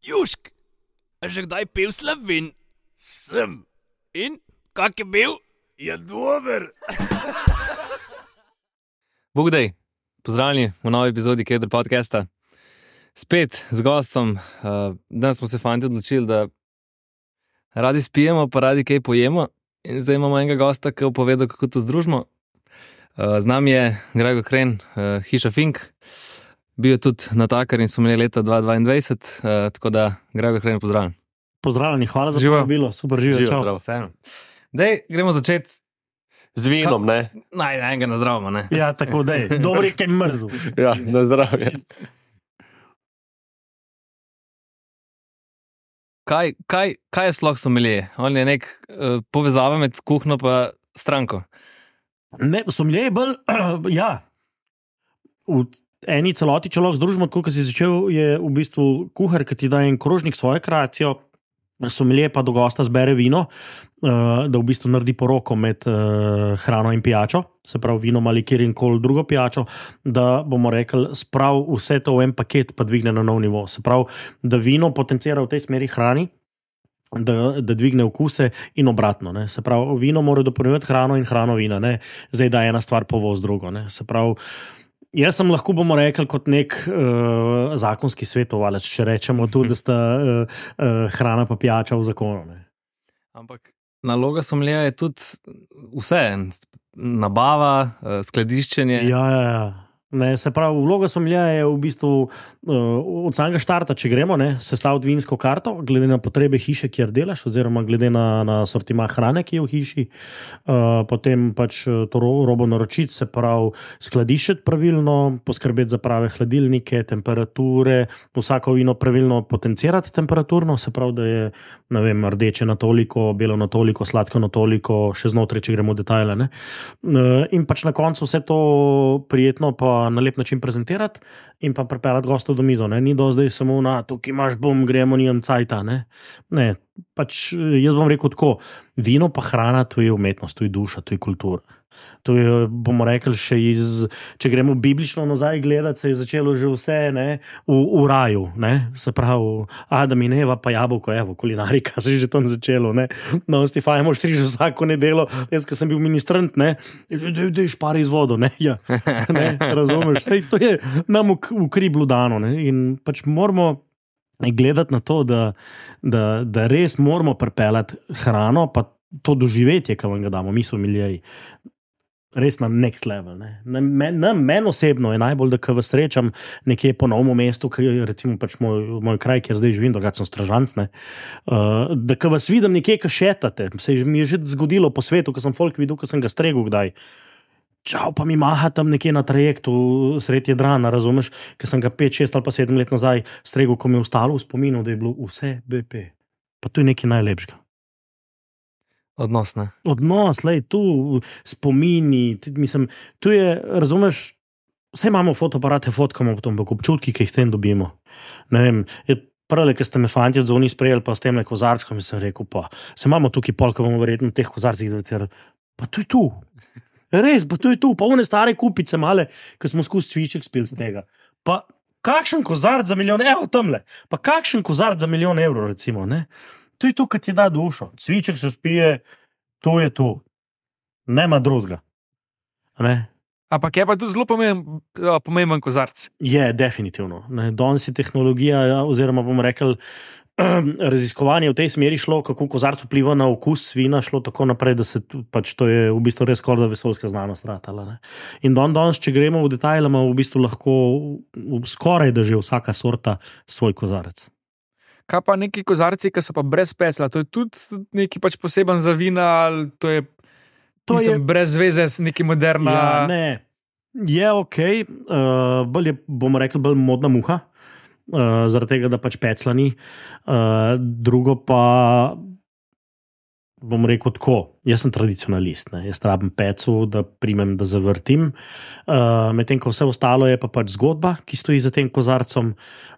Južk, a že kdaj pil Slovin? Sem. In, kak je bil? Je dober. Bogdej, pozdravljeni v novi epizodi Kedr podcasta. Spet z gostom. Danes smo se fanti odločili, da radi spijemo, pa radi kaj pojemo. In zdaj imamo enega gosta, ki je povedal, kako to združimo. Z nami je Gregor Kren, Hiša Fink. Bil je tudi natakar in smo imeli leta 2022, tako da Gregor Kren, pozdravljen. Pozdravljeni, hvala za povabilo, super živijo, čau. Dej, gremo začeti z vinom, ne? Enega na zdravo, ne? Ja, tako dej, dobri kaj mrzu. Ja, na zdravje. Kaj je sploh sommelier? On je nek povezava med kuhno pa stranko. Ne, sommelier je bolj, ja, v eni celoti, če lahko združimo, tako kot si začel, je v bistvu kuhar, ki ti da en krožnik svojo kreacijo, sommelier pa do gosta zbere vino, da v bistvu naredi poroko med hrano in pijačo, se pravi vino ali kjerkoli drugo pijačo, da bomo rekli, sprav vse to v en paket pa dvigne na nov nivo. Se pravi, da vino potencira v tej smeri hrani, da dvigne okuse in obratno. Ne. Se pravi, vino mora dopolnjevati hrano in hrano vina. Ne. Zdaj da ena stvar povoz drugo. Ne. Se pravi, jaz sem lahko, bomo rekli, kot nek zakonski svetovalec, če rečemo tudi, da sta hrana pa pijača v zakonu. Ne. Ampak naloga sommelierja je tudi vse, nabava, skladiščenje. Ja. Ne, se pravi, vloga sommelierja je v bistvu od samega štarta, če gremo, ne, sestaviti vinsko karto, glede na potrebe hiše, kjer delaš, oziroma glede na sortima hrane, ki je v hiši, potem pač to robo naročiti, se pravi, skladiščiti pravilno, poskrbeti za prave hladilnike, temperature, vsako vino pravilno potencirati temperaturno, se pravi, da je, ne vem, rdeče na toliko, belo na toliko, sladko na toliko, še znotraj, če gremo v detajle, ne. In pač na koncu vse to prijetno pa na lep način prezentirati in pa pripeljati gostov do mizo. Ne? Ni do zdaj samo na tukaj imaš gremo, nimam cajta. Ne, pač jaz bom rekel tako, vino pa hrana, to je umetnost, to je duša, to je kultura. To je, bomo rekli, še če gremo biblično nazaj gledati, se je začelo že vse, ne, v raju, ne, se pravi, Adam in Eva pa jabolko, evo, kulinarika se je že tam začelo, ne, no, Stefajmo štriž vsako nedelo, jaz, ko sem bil ministrant, ne, dej špari iz vodo, ne, ja, ne, razumeš, sej, to je nam v kriblu dano, ne, in pač moramo gledati na to, da res moramo pripeljati hrano, pa to doživetje, ki vam ga damo, mi sommelierji, res na next level. Ne. Meni osebno je najbolj, da ko vas srečam nekje po novem mestu, recimo pač moj kraj, kjer zdaj živim, drugače sem Stražanc, ne, da ko vas vidim nekje, ko šetate, se mi je že zgodilo po svetu, ko sem folk videl, ko sem ga stregel kdaj, čau, pa mi maha tam nekje na trajektu sredi Jadrana, razumeš, ko sem ga 5, 6 ali pa 7 let nazaj stregel, ko mi je ostalo v spominu, da je bilo vse BP. Pa to je nekaj najlepšega. Odnos, ne? Odnos, lej, tu spomini, mislim, tu je, razumeš, vse imamo fotoaparate, fotkamo potom, pa občutki, ki jih tem dobimo. Ne vem, prve, ki ste me fanti od zoni sprejeli, pa s tem kozarčkom, in sem rekel, pa, se imamo tukaj pol, ko bomo verjetno teh kozarcih zaveterali, pa to je tu. Res, pa to je tu, pa one stare kupice male, ki smo skozi cviček spili z tega. Pa kakšen kozarc za milijon, evo tamle, pa kakšen kozarc za milijon evrov, recimo, ne. To je to, kar ti da dušo. Cviček se spije, to je to. Nema drugega. Ne? Ampak je pa tudi zelo pomemben kozarc. Je, definitivno. Danes je tehnologija, oziroma bomo rekli, raziskovanje v tej smeri šlo, kako kozarc vpliva na okus vina, šlo tako naprej, da se pač to je v bistvu res skoraj vesoljska znanost ratala. Ne? In danes, če gremo v detajle, ima v bistvu lahko skoraj da že vsaka sorta svoj kozarec. Kaj pa neki kozarci, ki so pa brez pecla? To je tudi neki pač poseben za vina, ali to je brez veze s neki moderna... Ja, ne, je okej, bolj je, bomo rekli, bolj modna muha, zaradi tega, da pač pecla ni. Drugo pa, bom rekel tako, Jaz sem tradicionalist, ne. Jaz rabim peco, da primem, da zavrtim. Medtem ko vse ostalo je pa pač zgodba, ki stoji za tem kozarcem.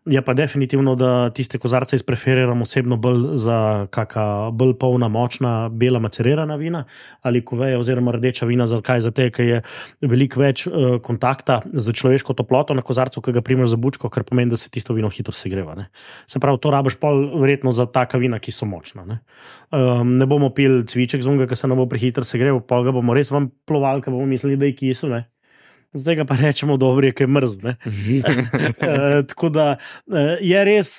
Je pa definitivno, da tiste kozarce preferiram osebno bolj za kakšna bolj polna, močna, bela macerirana vina ali kuveja oziroma rdeča vina. Zakaj? Zato, ker je veliko več kontakta z človeško toploto na kozarcu, ki ga primeš za bučko, kar pomeni, da se tisto vino hitro segreva. Ne. Se pravi, to rabiš pol verjetno za taka vina, ki so močna. Ne bomo pili cviček z unga, ki se nam bo prehitro segrel, pol ga bomo res vam plovali, ker bomo mislili, da je kisel. Zdaj ga pa rečemo, dobro je, ker je mrzlo. Tako da je res,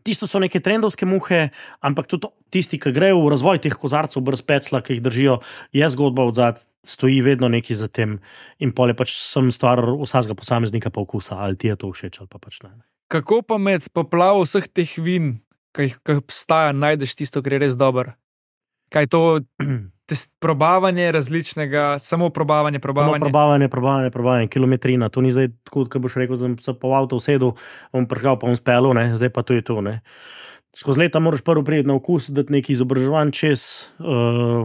tisto so neke trendovske muhe, ampak tudi tisti, ki grejo v razvoj teh kozarcev brez pecla, ki jih držijo, je zgodba odzad, stoji vedno nekaj za tem in pol je pač sem stvar vsakega posameznika pa okusa, ali ti je to všeč ali pa pač ne. Kako pa med poplavo vseh teh vin, ki obstaja, najdeš tisto, kar je res dobro? Kaj je to probavanje različnega, samo probavanje? Probavanje, kilometrina. To ni zdaj tako, kot boš rekel, da sem se po avto usedel, bom prižgal, pa bom spelil, zdaj pa to je to. Skozi leta moraš prvo priti na okus, dati neki izobraževanj čez,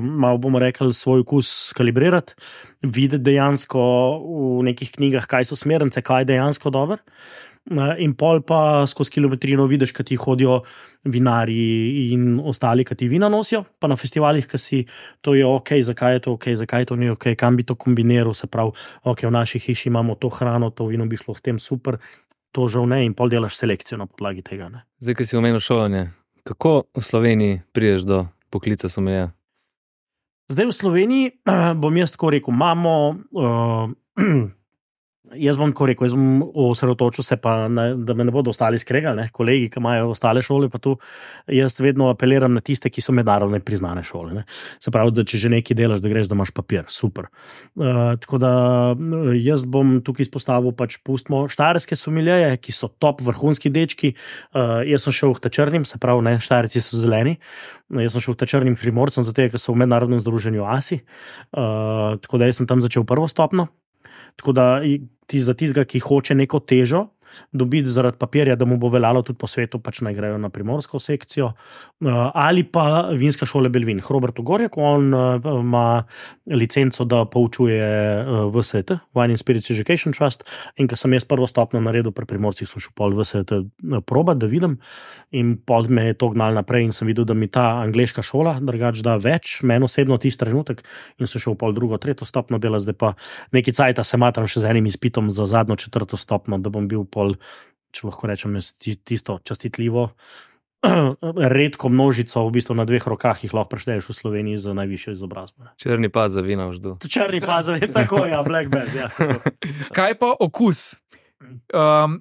malo bomo rekli, svoj okus skalibrirati, videti dejansko v nekih knjigah, kaj so smernice, kaj je dejansko dobro. In pol pa skozi kilometrino vidiš, kaj ti hodijo vinarji in ostali, kaj ti vina nosijo, pa na festivalih, kaj si to je ok, zakaj je to ok, zakaj to ni ok, kam bi to kombiniral, se pravi, ok, v naši hiši imamo to hrano, to vino bi šlo v tem super, to žal ne, in pol delaš selekcijo na podlagi tega. Zdaj, ko si omenil šolanje, kako v Sloveniji prideš do poklica somelija? Zdaj v Sloveniji, bom jaz tako rekel, imamo... Jaz bom tako rekel, jaz bom osredotočil se pa, da me ne bodo ostali skregali, kolegi, ki imajo ostale šole, pa tu jaz vedno apeliram na tiste, ki so mednarodno priznane šole. Se pravi, da če že nekaj delaš, da greš, da imaš papir, super. Tako da jaz bom tukaj izpostavil pač pustimo štajerske someljeje, ki so top vrhunski dečki. Jaz sem šel v Tačrnim, se pravi, Štajerci so zeleni. Jaz sem šel v Tačrnim Primorcem, zato ker so v mednarodnem združenju ASI. Tako da jaz sem tam začel prvo stopno. Tako da za tistega, ki hoče neko težo dobiti zaradi papirja, da mu bo veljalo tudi po svetu, pač naj grejo na primorsko sekcijo, ali pa vinska šola Belvin. Robert Gorjak, on ima licenco, da poučuje VSET, Wine and Spirits Education Trust, in ko sem jaz prvo stopno naredil pri Primorcih, sem šel pol VSET probat, da vidim, in pol me je to gnal naprej in sem videl, da mi ta angleška šola drugač da več, meni osebno tisti trenutek, in sem šel pol drugo, tretjo stopno dela, zdaj pa neki cajta se matram še z enim izpitom za zadnjo četrto stopno, da bom bil pol, če lahko rečem, tisto častitljivo, redko množico, v bistvu na 2 rokah jih lahko prešteješ v Sloveniji za najvišjo izobrazbo. Črni pad za vina v ždu. Črni pad za vina, tako, ja, black band, ja. Kaj pa okus?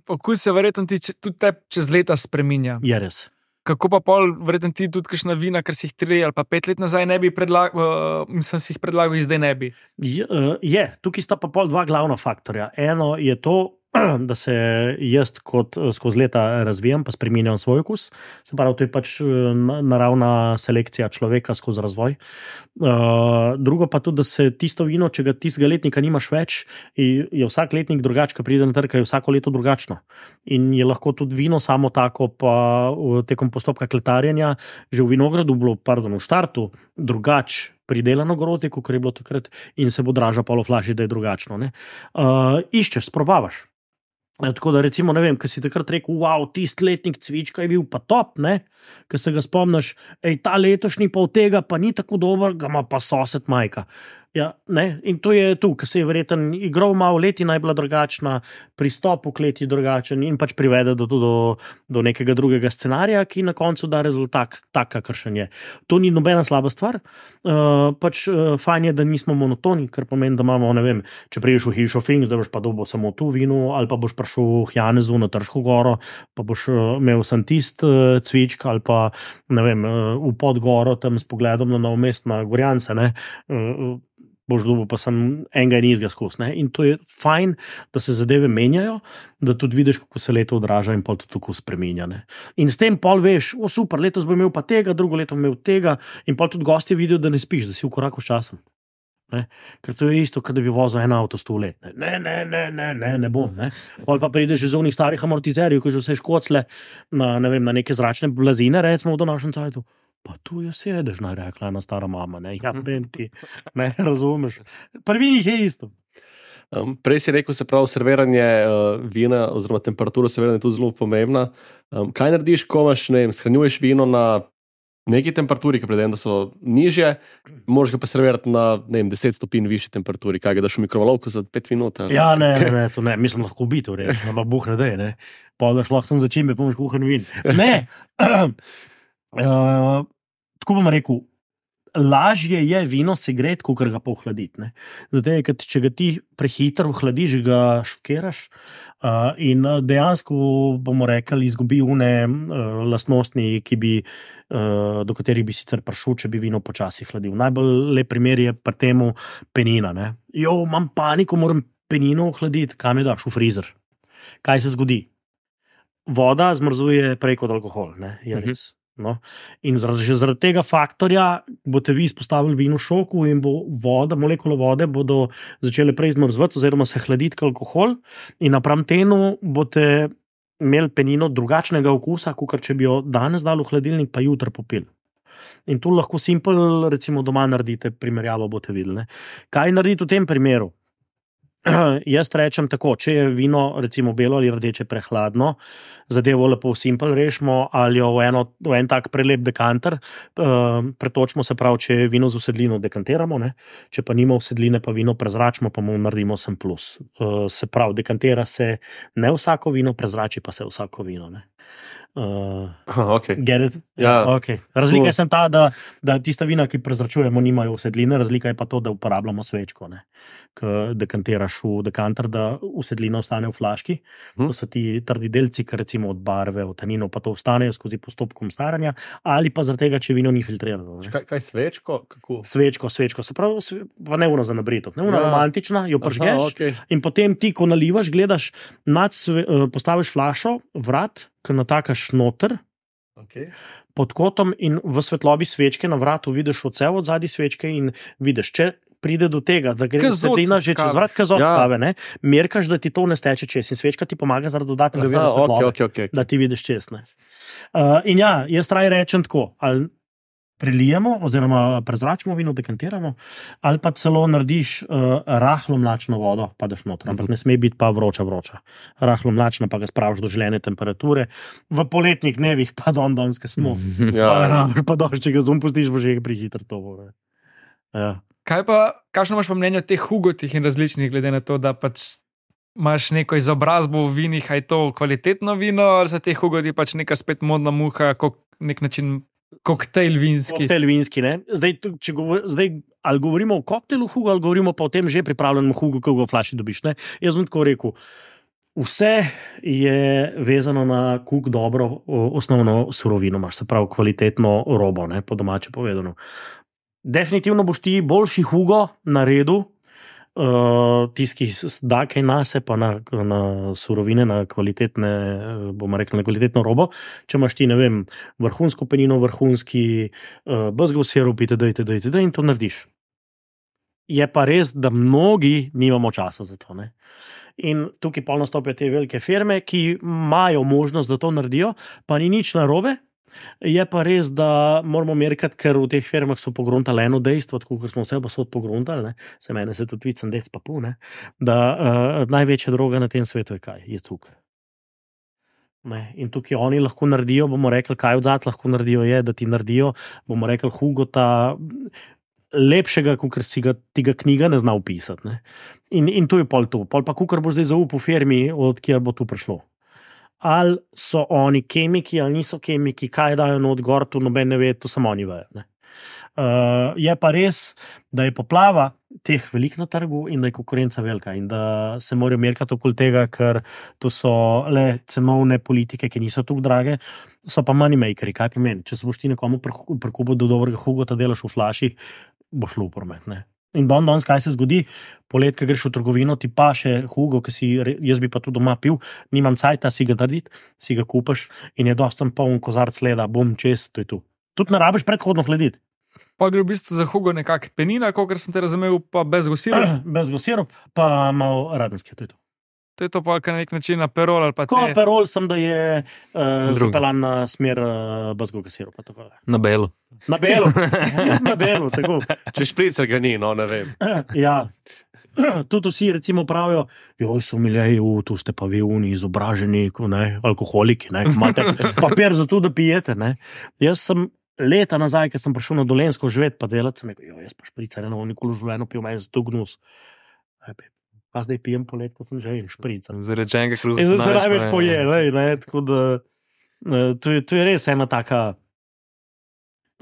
Okus se verjetno tudi te čez leta spreminja. Je res. Kako pa pol, verjetno ti tudi kakšna vina, ker si jih 3 ali pa 5 let nazaj ne bi predlagal, mislim, si jih predlagal in zdaj ne bi? Je, tukaj sta pa pol 2 glavna faktorja. Eno je to, da se jaz kot skozi leta razvijam, pa spreminjam svoj okus. Se pravi, to je pač naravna selekcija človeka skozi razvoj. Drugo pa tudi, da se tisto vino, če ga tistega letnika nimaš več, je vsak letnik drugač, ko pride na trg, je vsako leto drugačno. In je lahko tudi vino samo tako, pa tekom postopka kletarjenja, že v vinogradu bilo, v štartu, drugač pridelano grozdje, kot je bilo takrat, in se bo draža pol v flaši, da je drugačno. Iščeš, sprobavaš. Tako da recimo, ne vem, ko si takrat rekel, wow, tisti letnik cvička je bil pa top, ko se ga spomniš, ta letošnji pa od tega pa ni tako dober, ga ima pa sosed majka. Ja, in to je tu, ko se je verjetno igral malo, letina je bila drugačna, pristop v kleti drugačen in pač privede do nekega drugega scenarija, ki na koncu da rezultat tak, kakršen je. To ni nobena slaba stvar, pač fajn je, da nismo monotoni, kar pomeni, da imamo, ne vem, če priješ v hišo Fink, da boš pa dobil samo tu vino, ali pa boš prišel v Janezu na Trško goro, pa boš imel sem tist cvičk, ali pa, ne vem, v Podgoro, tam s pogledom na Novo mesto, na Gorjance, boš dobil pa sem enega in izga skozi. In to je fajn, da se zadeve menjajo, da tudi vidiš, kako se leto odraža in pol tudi tako spreminja. In s tem pol veš, super, letos bo imel pa tega, drugo leto imel tega, in pol tudi gostje vidijo, da ne spiš, da si v koraku s časom. Ker to je isto, kot da bi vozil en avto 100 let. Ne bom. Pol pa prideš iz onih starih amortizerjev, ko že vse škocle na neke zračne blazine, recimo v današnjem cajtu. Pa tu je sedež, naj rekla ena stara mama, ne, ja, ti, ne, razumeš. Prvi jih je isto. Prej si rekel, se pravi, serviranje vina oziroma temperatura serviranja je tu zelo pomembna. Kaj narediš, ko imaš, ne vem, shranjuješ vino na neki temperaturi, ki predem, da so nižje, moraš ga pa servirati na, ne vem, 10 stopinj višji temperaturi, kaj ga daš v mikrovalovko za 5 minut? Ali? Ja, ne, to ne, mislim, lahko biti v reči, ampak Bog ne dej, ne. Pa daš lahko sem začimbe, pomoč kuhan vin. Ne, tako bom rekel, lažje je vino segret, kot ga pa ohladiti. Zato, ker če ga ti prehitro ohladiš, ga šokiraš in dejansko, bomo rekli, izgubi une lastnosti, do katerih bi sicer prišel, če bi vino počasi hladil. Najbolj lep primer je pri temu penina. Ne? Imam paniko, moram penino ohladiti, kam je daš v frizer. Kaj se zgodi? Voda zmrzuje prej kot alkohol, ne? Je res. No. In zaradi tega faktorja boste vi izpostavili vino šoku in bo molekule vode bodo začele prej zmrzvati oziroma se hladiti kot alkohol in napram temu boste imeli penino drugačnega okusa, kot če bi jo danes dali v hladilnik, pa jutri popili. In tu lahko simpel, recimo doma naredite primerjavo, boste videli. Ne? Kaj narediti v tem primeru? Jaz rečem tako, če je vino recimo belo ali rdeče prehladno, zadevo lepo simpel rešimo ali jo v en tak prelep dekanter pretočimo, se pravi, če je vino z usedlino dekantiramo, ne? Če pa nima usedline, pa vino prezračimo, pa mu naredimo sem plus. Se pravi, dekantira se ne vsako vino, prezrači pa se vsako vino. Ne? Okay. Ja. Okay. Razlika je ta, da tista vina, ki prezračujemo, nimajo usedline, razlika je pa to, da uporabljamo svečko, ko dekantiraš v dekanter, da usedlina ostane v flaški. To so ti trdi delci, ki recimo od barve, od taninov, pa to ostanejo skozi postopkom staranja, ali pa zaradi tega, če vino ni filtrirano. Kaj svečko? Kako? Svečko, se pravi, pa ne una za nabritev, ne una romantična, jo pržgeš in potem ti, ko nalivaš, gledaš, postaviš flašo, vrat, ki natakaš noter, pod kotom in v svetlobi svečke na vratu vidiš odsev od zadnje svečke in vidiš, če pride do tega, da gre svetlina že čez vrat, kazot skave, ne? Merkaš, da ti to ne steče čez in svečka ti pomaga zaradi dodatnega vira svetlobe, da ti vidiš čez. In ja, jaz raj rečem tako, ali prelijemo oziroma prezračimo vino, dekantiramo, ali pa celo narediš rahlo mlačno vodo, pa daš noter, ampak ne sme biti pa vroča. Rahlo mlačna, pa ga spraviš do željene temperature. V poletnih dnevih pa donske smo. Pa doš, če ga pustiš, bo že prihitro to. Ja. Kakšno imaš pa mnenje o teh hugotih in različnih, glede na to, da pač imaš neko izobrazbo v vinih, a je to kvalitetno vino, ali so te hugoti pač neka spet modna muha, nek način koktejl vinski. Koktejl vinski, ne. Zdaj, ali govorimo o koktejlu hugo, ali govorimo pa o tem že pripravljenem hugo, ki ga v flaši dobiš, ne. Jaz bom tako rekel, vse je vezano na kuk dobro osnovno surovino, imaš, se pravi kvalitetno robo, ne, po domače povedano. Definitivno boš ti boljši hugo naredil, tisti, ki da kaj nase, pa na surovine, na kvalitetne, bomo rekli, na kvalitetno robo, če imaš ti, ne vem, vrhunsko penino, vrhunski bezgov sirup, itd. In to narediš. Je pa res, da mnogi nimamo časa za to, ne. In tukaj pa nastopijo te velike firme, ki imajo možnost, da to naredijo, pa ni nič narobe. Je pa res, da moramo merkati, ker v teh firmah so pogruntali eno dejstvo, tako kot smo vse posod pogruntali, se mene se tudi vicem dec pa pu, da največja droga na tem svetu je kaj? Je cuker. In tukaj oni lahko naredijo, bomo rekli, kaj odzad lahko naredijo, je, da ti naredijo, bomo rekli, hugota lepšega, kot si ga tega knjiga ne zna opisati. In tu je pol to. Pol pa kukor bo zdaj zaupal firmi, od kjer bo tu prišlo. Ali so oni kemiki, ali niso kemiki, kaj dajo not gor, tu noben ne ve, to samo oni vejo. Je pa res, da je poplava teh velik na trgu in da je konkurenca velika in da se morajo merkati okoli tega, ker to so le cenovne politike, ki niso tako drage, so pa money makeri. Kaj pomeni? Če se boš ti nekomu prikupil do dobrega hugota, delaš v flaši, boš šlo v promet, ne. In danes, kaj se zgodi, polet, ko greš v trgovino, ti pa še hugo, jaz bi pa tudi doma pil, nimam cajta si ga narediti, si ga kupaš in je dosti poln kozarc leda, bom čez, to je tu. Tudi ne rabiš predhodno hladiti. Pa gre v bistvu za hugo nekak penina, kolikor sem te razumel, pa bezgov sirup. Bezgov sirup, pa malo radenske, to je to. To je to pa na nek način na perol ali pa Ko perol sem, da je zapeljan na smer bazgovega sirupa. Na belu. Na belu, na belu, tako. Če špricer ga ni, no ne vem. Ja. Tudi vsi recimo pravijo, joj, so miljeji, tu ste pa vi uni izobraženi, alkoholiki, imate papir za to, da pijete. Ne. Jaz sem leta nazaj, ko sem prišel na Dolenjsko živeti pa delati, sem rekel, jaz pa špricer, nikoli v življenju pil, meni za to gnus. Pa zdaj pijem polet, ko sem že špricer. Zaradi enega kruha. Zdaj se največ poje, tako da to je res ena taka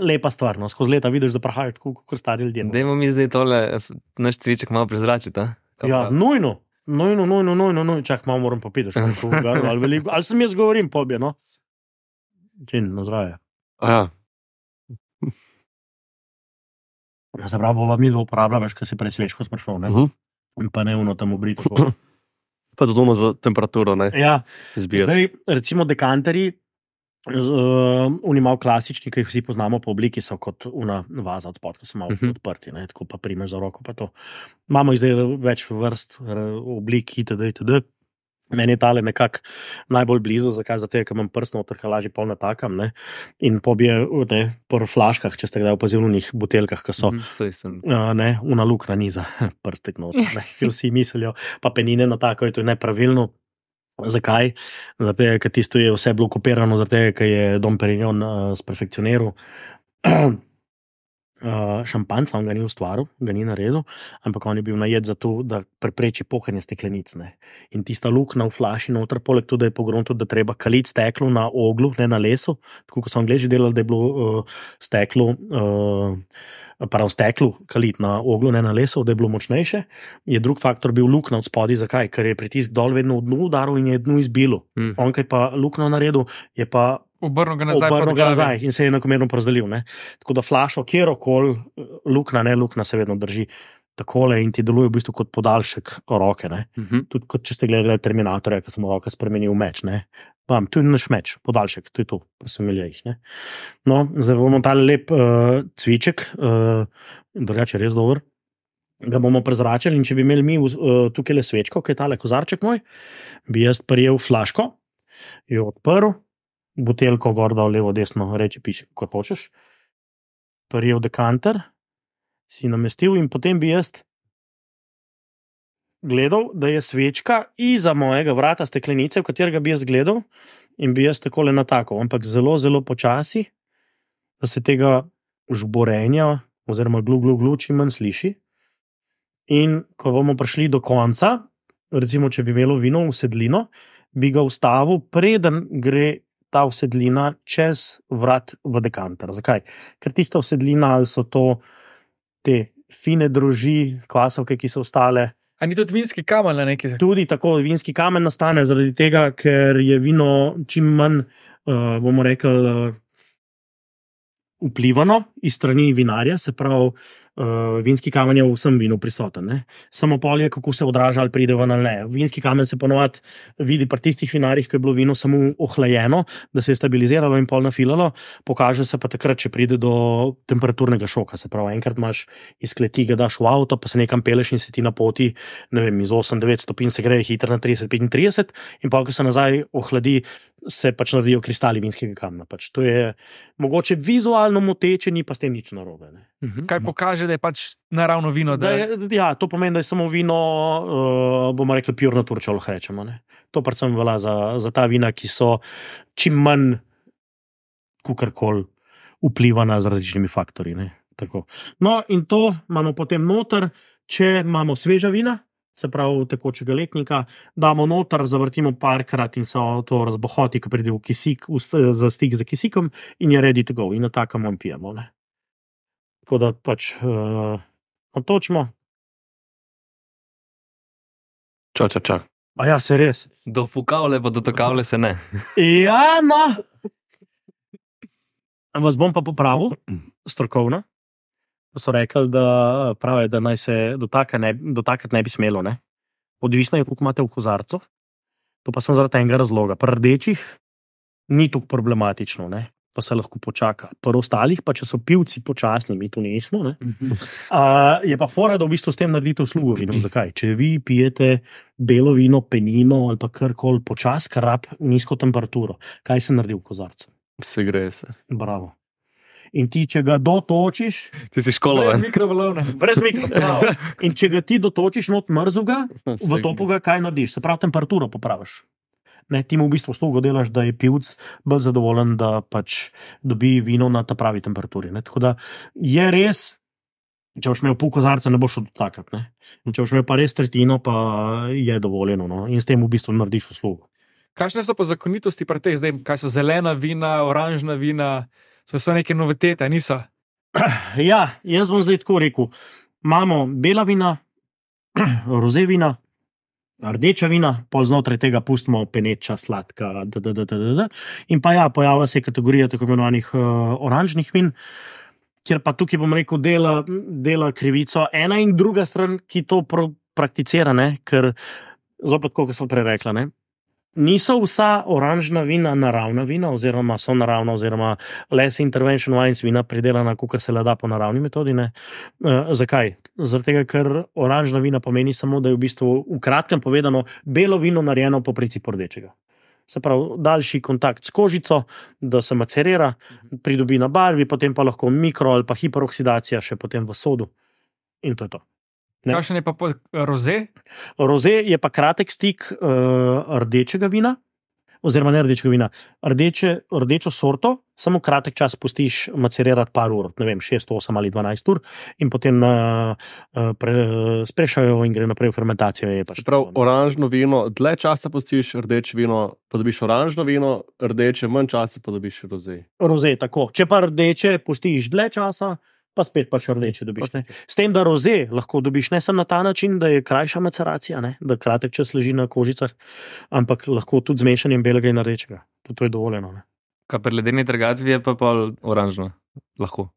lepa stvar, no. Skozi leta vidiš, da prahajo tako, kot stari ljudje. Dajmo mi zdaj tole, naš cviček malo prezračiti. Ja, nujno. Čak, malo moram popiti, ali sem jaz govorim, pobje, no? Čin, na zdravje. Ja. Se pravi, bova mi dva uporabljala, veš, kaj si prej svečko sprašal, ne? In pa ne uno tam obriti. Pa tudi ono za temperaturo, ne? Ja, Zbir. zdaj, recimo dekanterji, oni malo klasični, ki jih vsi poznamo po obliki, so kot una vaza od spod, ko so malo odprti, ne? Tako pa primeš za roko, pa to. Imamo jih zdaj več vrst oblik, itd. Meni je tale nekako najbolj blizu, zakaj? Zato, ker imam prst noter, ker lažje pol natakam, ne? In pobije po flaškah, če ste kdaj opazili v njih buteljkah, ki so, una lukna niza prstek noter, ne? Vsi mislijo, pa penine natakajo, to je nepravilno. Zakaj? Zato, ker tisto je vse bilo kopirano, zato, ker je Dom Perignon sperfekcioniral šampanjca, on ga ni ustvaril, ga ni naredil, ampak on je bil najet za to, da prepreči pohanje steklenic. Ne. In tista luknja v flaši noter, poleg tudi, da je pogrom tudi, da treba kaliti steklo na oglu, ne na lesu, tako kot so Angleži delali, da je bilo steklo kaliti na oglu, ne na lesu, da je bilo močnejše, je drug faktor bil luknja od spodaj. Zakaj? Ker je pritisk dol vedno v dnu udaril in je dnu izbilo. On, kaj pa luknjo naredil, je pa obrnil ga nazaj in se je enakomerno porazdelil. Ne? Tako da flašo, kjerokoli luknja se vedno drži takole in ti deluje v bistvu kot podaljšek roke. Ne? Tudi kot če ste gledali Terminatorja, ki sem roka spremenil v meč. Ne? Tu je naš meč, podaljšek, to je to, pa sem imel jih. Ne? No, zdaj bomo tale lep cviček, drugače res dober, ga bomo prezračili in če bi imeli mi tukaj le svečko, kaj je tale kozarček moj, bi jaz prijel flaško, jo odprl, buteljko gor dal, levo, desno, reči, piši, kot hočeš, prijel dekanter, si namestil in potem bi jaz gledal, da je svečka iza mojega vrata steklenice, v katerega bi jaz gledal in bi jaz takole natakal, ampak zelo, zelo počasi, da se tega žborenja oziroma glu čim manj sliši. In ko bomo prišli do konca, recimo, če bi imelo vino v sedlino, bi ga ustavil, preden gre ta vsedlina čez vrat v dekanter. Zakaj? Ker tista vsedlina, ali so to te fine droži, kvasovke, ki so ostale. A ni tudi vinski kamen na neki? Tudi tako, vinski kamen nastane zaradi tega, ker je vino čim manj, bomo rekli, vplivano iz strani vinarja, se pravi, vinski kamen je v vsem vinu prisoten. Ne? Samo polje, kako se odraža, ali pride ven ali ne. Vinski kamen se ponovadi vidi pri tistih vinarjih, ko je bilo vino samo ohlajeno, da se je stabiliziralo in pol nafilalo, pokaže se pa takrat, če pride do temperaturnega šoka. Se pravi, enkrat imaš iz kleti, ga daš v avto, pa se nekam peleš in se ti na poti, ne vem, iz 8-9 stopinj se gre hitro na 30-35 in pa, ko se nazaj ohladi, se pač naredijo kristali vinskega kamna. Pač to je mogoče vizualno moteče, ni pa s tem nič narobe. Ne? Kaj pokaže, da je pač naravno vino? Ja, to pomeni, da je samo vino, bomo rekli, pure nature, če lahko rečemo. Ne? To predvsem velja za ta vina, ki so čim manj kakorkoli vplivana z različnimi faktorji. Ne? Tako. No, in to imamo potem noter, če imamo sveža vina, se pravi tekočega letnika, damo noter, zavrtimo parkrat in se to razbohoti, ko pride v kisik, za stik z kisikom in je ready to go. In na takem pijemo. Ne? Tako da pač natočimo. Čak. A ja, se res. Do fukavle pa do tokavle se ne. Ja, no. Vas bom pa popravil, strokovno. So rekli, da pravijo, da naj se dotakati ne bi smelo. Ne? Odvisno je, koliko imate v kozarcu. To pa sem zaradi enega razloga. Pri rdečih ni tako problematično. Ne? pa se lahko počaka. Pri ostalih, pa če so pivci počasni, mi tu nismo, ne? Je pa fora, da v bistvu s tem naredite uslugo vinu. Zakaj? Če vi pijete belo vino, penino ali pa karkoli počas, kar rab nizko temperaturo, kaj se naredi v kozarcu? Se gre se. Bravo. In ti, če ga dotočiš, Ti si školovan. brez mikrovalovne. In če ga ti dotočiš not mrzuga, v topuga, kaj narediš? Se pravi, temperaturo popraviš. Ne, ti mu v bistvu uslugo delaš, da je pivc bolj zadovoljen, da pač dobi vino na ta pravi temperaturi. Ne? Tako da je res, če boš imel pol kozarca, ne boš odtakati. Če boš imel pa res tretjino, pa je dovoljeno. No? In s tem v bistvu narediš uslugo. Kakšne so pa zakonitosti pri teh zdaj? Kaj so zelena vina, oranžna vina? So neke novitete, niso? Ja, jaz bom zdaj tako rekel. Imamo bela vina, roze vina, rdeča vina, pol znotraj tega pustimo peneča, sladka, in pa ja, pojavlja se kategorija tako imenovanih oranžnih vin, kjer pa tukaj bom rekel dela krivico ena in druga stran, ki to prakticira, ne? Ker zopet, kot sem prej rekla, ne? Niso vsa oranžna vina naravna vina, oziroma so naravna, oziroma less intervention wines vina pridelana, kot se le da po naravni metodi. Ne? Zakaj? Zaradi tega, ker oranžna vina pomeni samo, da je v bistvu v kratkem povedano belo vino narejeno po principu rdečega. Se pravi, daljši kontakt s kožico, da se macerira, pridobi na barvi, potem pa lahko mikro ali pa hiperoksidacija še potem v sodu. In to je to. Kakšen je pa roze? Roze je pa kratek stik rdečega vina, oziroma ne rdečega vina, rdečo sorto, samo kratek čas pustiš macerirati par ur, ne vem, 6, 8 ali 12 ur, in potem sprešajo in gre naprej v fermentacijo. Se pravi, oranžno vino, dlje časa pustiš rdeče vino, pa dobiš oranžno vino, rdeče, manj časa pa dobiš roze. Roze, tako. Če pa rdeče pustiš dlje časa, pa spet pa še rdeče dobiš. Ne? S tem, da roze lahko dobiš ne samo na ta način, da je krajša maceracija, ne? Da kratek čas leži na kožicah, ampak lahko tudi z mešanjem belega in rdečega. To je dovoljeno. Ne? Kaj pri ledeni trgatvi je pa pol oranžno? Lahko?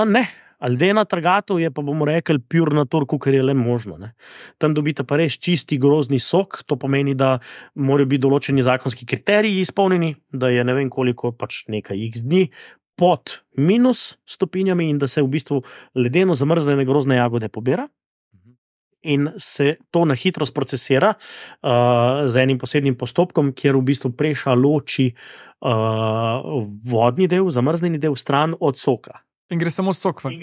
Ne. Ledena trgatev je pa, bomo rekli, pure natur, kar je le možno. Ne? Tam dobite pa res čisti grozdni sok, to pomeni, da morajo biti določeni zakonski kriteriji izpolnjeni, da je ne vem koliko, pač nekaj x dni, pod minus stopinjami in da se v bistvu ledeno zamrznjene grozdne jagode pobira in se to na hitro sprocesira z enim posebnim postopkom, kjer v bistvu preša loči vodni del, zamrznjeni del stran od soka. In gre samo sok ven.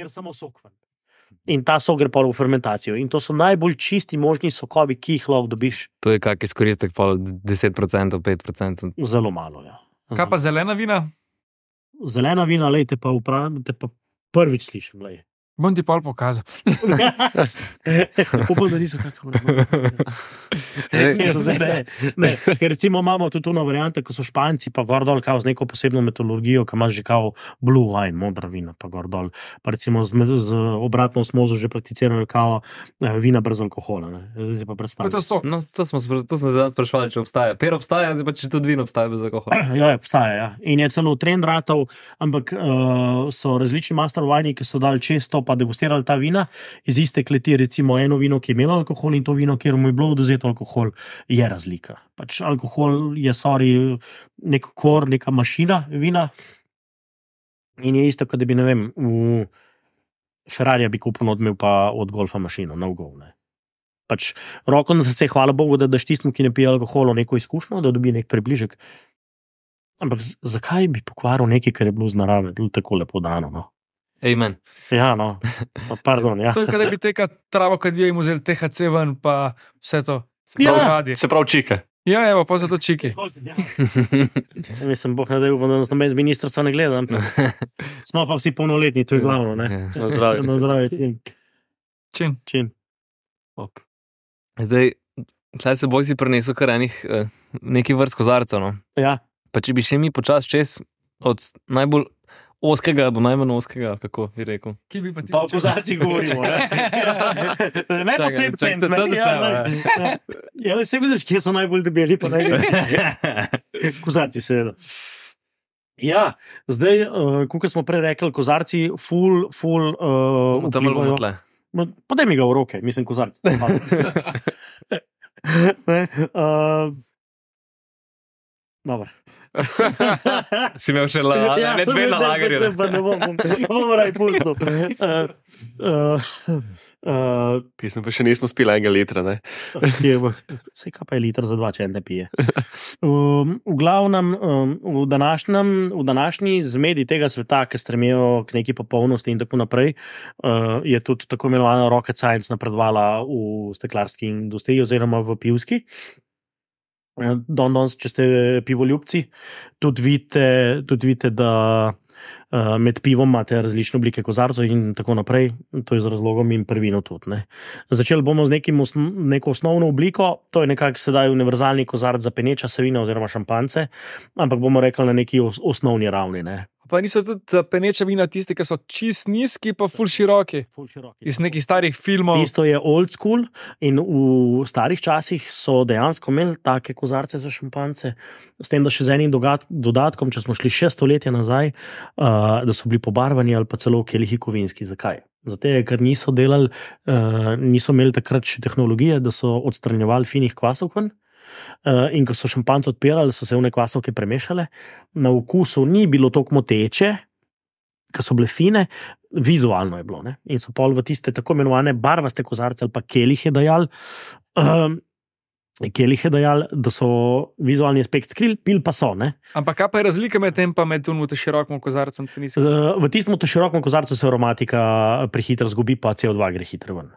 In ta sok gre pa v fermentacijo. In to so najbolj čisti možni sokovi, ki jih lahko dobiš. To je kak izkoristek pol 10%, 5%. Zelo malo, ja. Kaj pa zelena vina? Zelena vina, lejte pa prvič slišim, lej. Bom ti pol pokazal. Upam, da niso kakšno. Ne, ker recimo imamo tudi tuno variante, ko so Španci pa gor dol kao z neko posebno metodologijo, ki imaš že kao blue wine, modra vina pa gor dol. Pa recimo z obratno osmozo že prakticirajo kao vina brez alkohola. Ne. Zdaj si pa predstavljam. To je sok. No, to smo zdaj sprašvali, če obstaja. Per obstaja, zdaj pa če tudi vino obstaja bez alkohola. Ja, obstaja, ja. In je celo trend ratov, ampak so različni master wine, ki so dali često pa degustirali ta vina iz iste kleti, recimo eno vino, ki je imelo alkohol in to vino, kjer mu je bilo odvzeto alkohol, je razlika. Pač alkohol je, nek kor, neka mašina vina in je isto, kot da bi, ne vem, v Ferrarija bi kupil odmev pa od golfa mašino, no go, ne. Pač roko na srce, hvala Bogu, da daš tistim, ki ne pije alkoholo, neko izkušnjo, da dobi nek približek. Ampak zakaj bi pokvaril nekaj, kar je bilo z narave tako lepo dano, no? Amen. Ja, no, pardon, ja. To je, kada bi teka travo, kad jo jim vzeli THC ven, pa vse to. Se pravi čike. Ja, evo, pa zato čiki. Mislim, boh ne da upam, da nas noben z ministrstva ne gleda. Smo pa vsi polnoletni, to je glavno, ne? Na zdravje. Na zdravje. Čin. Zdaj, tlej se boj si prinesel kar nekaj vrst kozarcev, no? Ja. Pa če bi še mi počas čez od najbolj oskega do najmanj oskega, kako bi rekel. Ki bi pa ti Pa o kozarcih govorimo, ne? Ne pa sredi cent. Ja, se vidiš, kje so najbolj debeli, pa najbolj. Kozarci, seveda. Ja, zdaj, kot smo prej rekli, kozarci ful Tam ali bomo tle. Podaj mi ga v roke, mislim, kozarci. Dobro. Si imel še ne dve na lagerju. Ne bom raj pustil. Pisem pa še nismo spili 1 litra, ne? Vse kaj pa je liter za 2, če ne pije. V glavnem, v današnji zmedi tega sveta, ki stremijo k neki popolnosti in tako naprej, je tudi tako imenovana rocket science napredovala v steklarski industriji oziroma v pivski. Danes, če ste pivoljubci, tudi vidite, da med pivom imate različne oblike kozarcev in tako naprej. To je z razlogom in prvino tudi. Ne. Začeli bomo z neko osnovno obliko, to je nekako sedaj univerzalni kozarc za peneča se vina oziroma šampance, ampak bomo rekli na neki osnovni ravni. Ne. Pa niso tudi peneča vina tisti, ki so čist nizki, pa ful široki. Iz nekih starih filmov. Isto je old school in v starih časih so dejansko imeli take kozarce za šampance, s tem, da še z enim dodatkom, če smo šli 6 stoletja nazaj, da so bili pobarvani ali pa celo kelihi kovinski. Zakaj? Zato, ker niso imeli takrat še tehnologije, da so odstranjevali finih kvasov ven. In ko so šampance odpirali, so se one kvasovke premešale. Na okusu ni bilo toliko moteče, ker so bile fine, vizualno je bilo. Ne? In so pol v tiste tako imenovane barvaste kozarce ali pa kelihe dajali, da so vizualni aspekt skrili, pil pa so. Ne? Ampak kaj pa je razlika med tem pa med širokim kozarcem? V tistem širokem kozarcu se aromatika prehitro zgubi, pa CO2 gre hitro ven.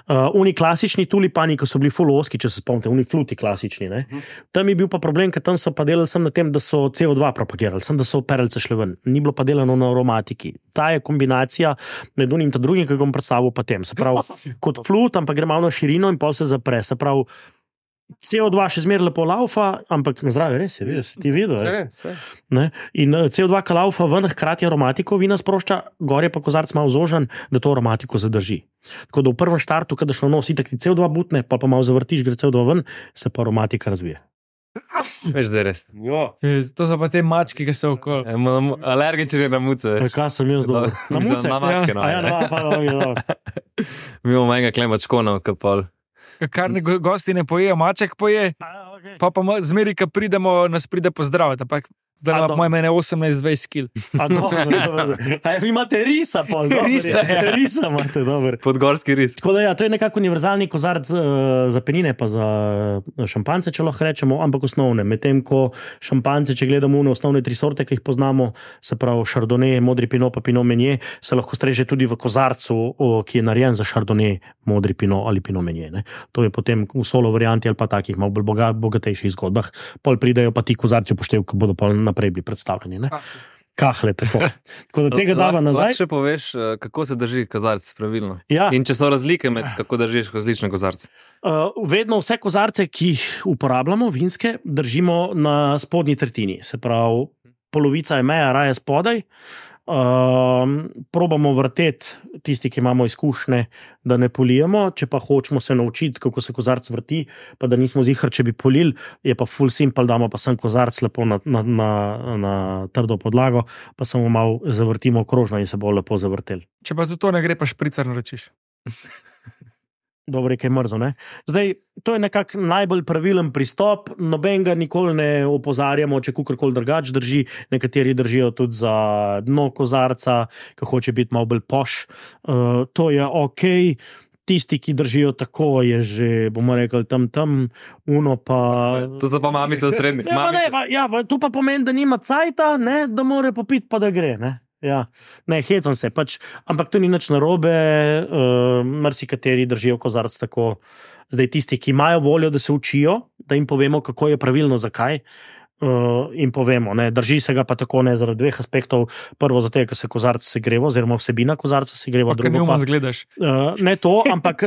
Oni klasični tulipani, ko so bili full oski, če se spomnite, oni fluti klasični. Ne? Tam je bil pa problem, ker tam so pa delali sem na tem, da so CO2 propagirali, sem da so perelce šle ven. Ni bilo pa delano na aromatiki. Ta je kombinacija med unim in drugim, ki ga bom predstavil pa tem. Se pravi, kot flut, ampak gre malo na širino in pol se zapre. Se pravi, CO2 še zmeraj lepo laufa, ampak na zdravje res je, vidiš, ti videl. In CO2 ka laufa ven, hkrati aromatiko vina sprošča, gor je pa kozarc malo zožen, da to aromatiko zadrži. Tako da v prvem štartu, kada šlo nos, itak ti CO2 butne, pa malo zavrtiš, gre CO2 ven, se pa aromatika razvije. Veš, da je res. To so pa te mačke, ki so okoli. Alergični na muce. Kaj sem jaz dobil? Na muce? Na mačke, no. Mi imamo enega klemačkona, kapal. Kar gosti ne pojejo, maček poje, pa zmeri, ko pridemo, nas pride pozdraviti. Zdaj ima moj mene 18-20 kil. Vi imate risa, pol. Risa imate, dobro. Podgorski ris. Tako da to je nekako univerzalni kozarc za penine, pa za šampance, če lahko rečemo, ampak osnovne. Medtem ko šampance, če gledamo osnovne 3 sorte, ki jih poznamo, se pravi Chardonnay, modri pinot, pa pinot meunier, se lahko streže tudi v kozarcu, ki je narejen za Chardonnay, modri pinot ali pinot meunier. Ne. To je potem v solo varianti ali pa takih malo bolj bogatejših zgodbah. Pol pridejo pa ti kozarci upoštev, ki bodo pol naprej bili predstavljeni. Ne? Kahle, tako. Tako da tega dava nazaj. Lahko še poveš, kako se drži kozarc pravilno? Ja. In če so razlike med, kako držiš različne kozarce? Vedno vse kozarce, ki jih uporabljamo, vinske, držimo na spodnji tretjini. Se pravi, polovica je meja, raje spodaj. Probamo vrteti tisti, ki imamo izkušnje, da ne polijemo, če pa hočemo se naučiti, kako se kozarc vrti, pa da nismo zihar, če bi polili, je pa full simple, damo pa sem kozarc lepo na trdo podlago, pa samo malo zavrtimo okrožno in se bo lepo zavrtel. Če pa tudi to ne gre, pa špricar naročiš. Dobro je, kaj mrzo, ne? Zdaj, to je nekako najbolj pravilen pristop, noben ga nikoli ne opozarjamo, če kukorkoli drugač drži, nekateri držijo tudi za dno kozarca, ki hoče biti malo bolj poš, to je okej. Tisti, ki držijo tako, je že, bomo rekli, tam, uno pa... To so pa mamice v srednji. Tu pa pomeni, da nima cajta, ne, da more popiti, pa da gre, ne. Ja, ne, hecam se, ampak to ni nič narobe, marsikateri držijo kozarc tako. Zdaj tisti, ki imajo voljo, da se učijo, da jim povemo, kako je pravilno, zakaj, in povemo, ne, drži se ga pa tako ne zaradi 2 aspektov. Prvo zato, ker se kozarc segreva, oziroma vsebina kozarca segreva. Pa ne umaz gledaš. Ne to, ampak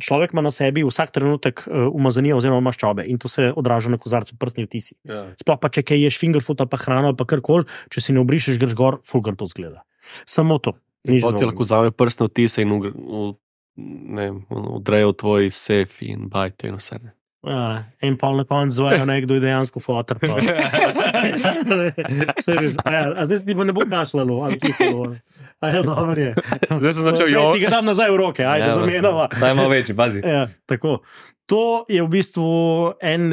človek ima na sebi vsak trenutek umazanije oziroma maščobe in to se odraža na kozarcu, prstni vtisi. Sploh pa če kaj ješ fingerfood ali pa hrano ali pa karkoli, če si ne obrišeš, greš gor, fulgar to zgleda. Samo to. Potem lahko vzame prstne vtise in odrejo tvoj sef in bajte in vse. Ja, in pol na konc zvajo nekdo je dejansko fotor. Zdaj se ti pa ne bo kašljalo, ali kihalo. Dobro je. Zdaj sem začel Ti ga dam nazaj v roke, ajde zamenjava. Daj malo večji, bazi. Ja, tako. To je v bistvu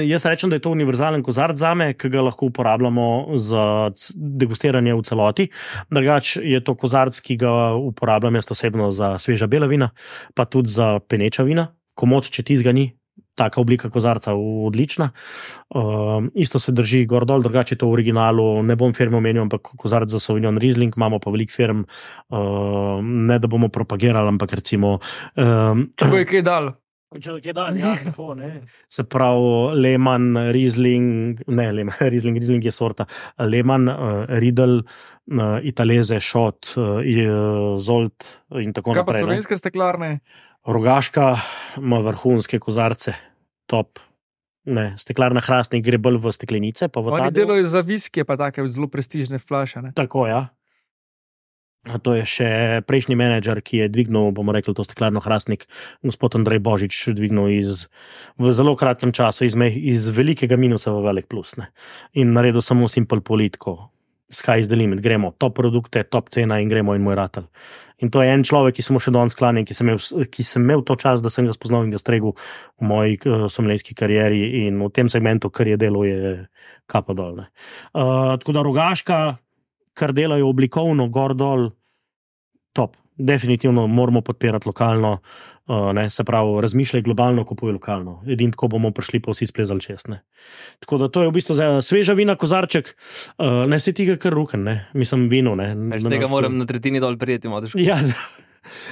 jaz rečem, da je to univerzalen kozarc zame, ki ga lahko uporabljamo za degustiranje v celoti. Drugač je to kozarc, ki ga uporabljam jaz osebno za sveža bela vina, pa tudi za peneča vina. Komod, če tizga ni, taka oblika kozarca odlična. Isto se drži gor dol, drugače je to v originalu, ne bom firme omenil, ampak kozarc za Sauvignon Riesling, imamo pa veliko firm, ne da bomo propagirali, ampak recimo... Če bo je kaj dal? Če je dan, ja, tako, ne. Se pravi, Lehmann, Riesling, Riesling je sorta, Lehmann, Riedel, Italese, Schott, Zolt in tako naprej. Kaj pa slovenske steklarne? Rogaška ima vrhunske kozarce, top. Ne, steklarna Hrastnik gre bolj v steklenice. Pa v oni delajo za viskije, pa take zelo prestižne flaše. Ne? Tako, ja. To je še prejšnji menedžer, ki je dvignil, bomo rekli, to steklarno Hrastnik, gospod Andrej Božič, dvignil v zelo kratkem času iz velikega minusa v velik plus. Ne. In naredil samo simple politiko. Sky is the limit, gremo, top produkte, top cena in gremo in moj ratelj. In to je en človek, ki sem mu še danes sklanjen, ki sem imel to čas, da sem ga spoznal in ga stregel v moji sommelijerski karieri in v tem segmentu, kar je delo, je kapa dol. Tako da Rogaška, kar delajo oblikovno, gor dol, top. Definitivno moramo podpirati lokalno, se pravi, razmišljaj globalno, kupuj lokalno. Edino tako bomo prišli pa vsi splezali čez. Ne. Tako da to je v bistvu za sveža vina kozarček, ne se tiga kar ruken, ne. Mislim vino. Ne. Tega moram na tretjini dol prijeti, malo težko.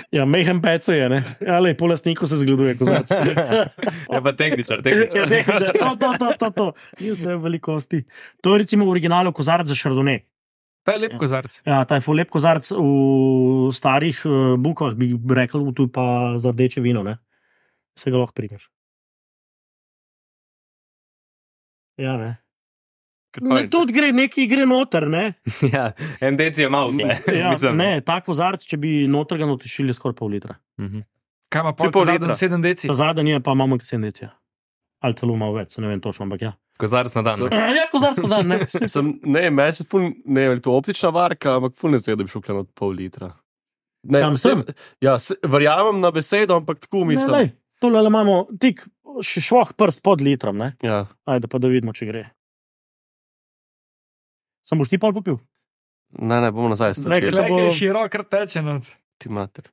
Ja, mehen peco je, ne. Ale, po lastniku se zgleduje kozarc. Ja, pa tehničar. To. Ni vse v velikosti. To je recimo v originalu kozarc za Chardonnay. Ta je lep kozarc. Ja, ta je lep kozarc v starih bukvah, bi rekel, tu pa za rdeče vino, ne. Se ga lahko primeš. Ja, ne. Ne, tudi gre noter, ne. Ja, en deci je malo, ne. Ja, ne, ta kozarc, če bi noter ga notišili, je skoraj pol litra. Kaj ima pol litra? 7 deci? Ta zadnji je pa malo manj kot 7 deci. Ali celo malo več, se ne vem točno, ampak ja. Kozarc na dan. Ja, kozarc na dan, ne. Meni se ne je to optična varka, ampak ful ne zgleda, da bi šel klen od pol litra. Ne, tam sem. Ja, verjamem na besedo, ampak tako mislim. Ne, tole imamo tik švoh prst pod litrom, ne. Ja. Ajde, pa da vidimo, če gre. Sam boš ti pol popil? Ne, bomo nazaj strčili. Nekaj širok rteče noc. Ti mater.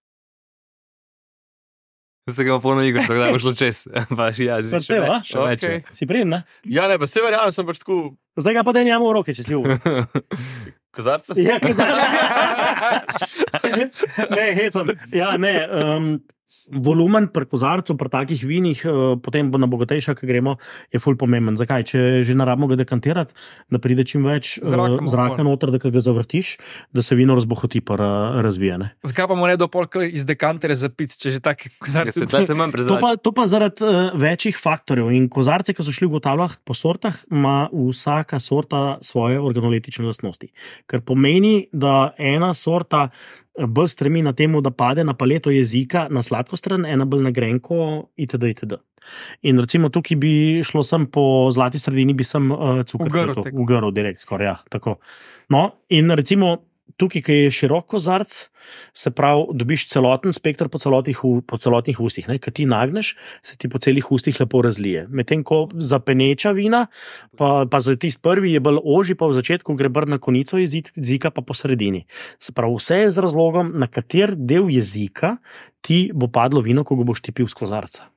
Se ga polno igr, tako da bo šlo čez. Srce, va? Okay. Si prijem, ne? Ja, ne, pa se verjamem, sem pač tako... Zdaj ga pa da njamo v roke, če si uvo. Kozarca? Ja, kozarca. Ne, hecam. Ja, ne, volumen pri kozarcu, pri takih vinih, potem bo na bogatejša, ko gremo, je ful pomemben. Zakaj? Če že narabimo ga dekantirati, da pride čim več zraka noter, da ga zavrtiš, da se vino razbohoti pa razvije. Ne? Zakaj pa mu ne do polk iz dekantere zapiti, če že take kozarce? To pa zaradi večjih faktorjev. In kozarce, ki so šli v ugotavljah po sortah, ima vsaka sorta svoje organoletične lastnosti. Kar pomeni, da ena sorta bolj stremi na temu, da pade na paleto jezika na sladko stran, ena bolj na grenko itd. In recimo tukaj bi šlo sem po zlati sredini, bi sem cukor ugrl direkt skoraj, ja, tako. No, in recimo tukaj, ki je širok kozarc, se pravi, dobiš celoten spektr po celotnih ustih, ne? Kad ti nagneš, se ti po celih ustih lepo razlije. Medtem ko za peneča vina, pa za tist prvi je bolj ožji, pa v začetku gre brn na konico jezika, pa po sredini. Se pravi, vse je z razlogom, na kater del jezika ti bo padlo vino, ko ga boš ti pil z kozarca.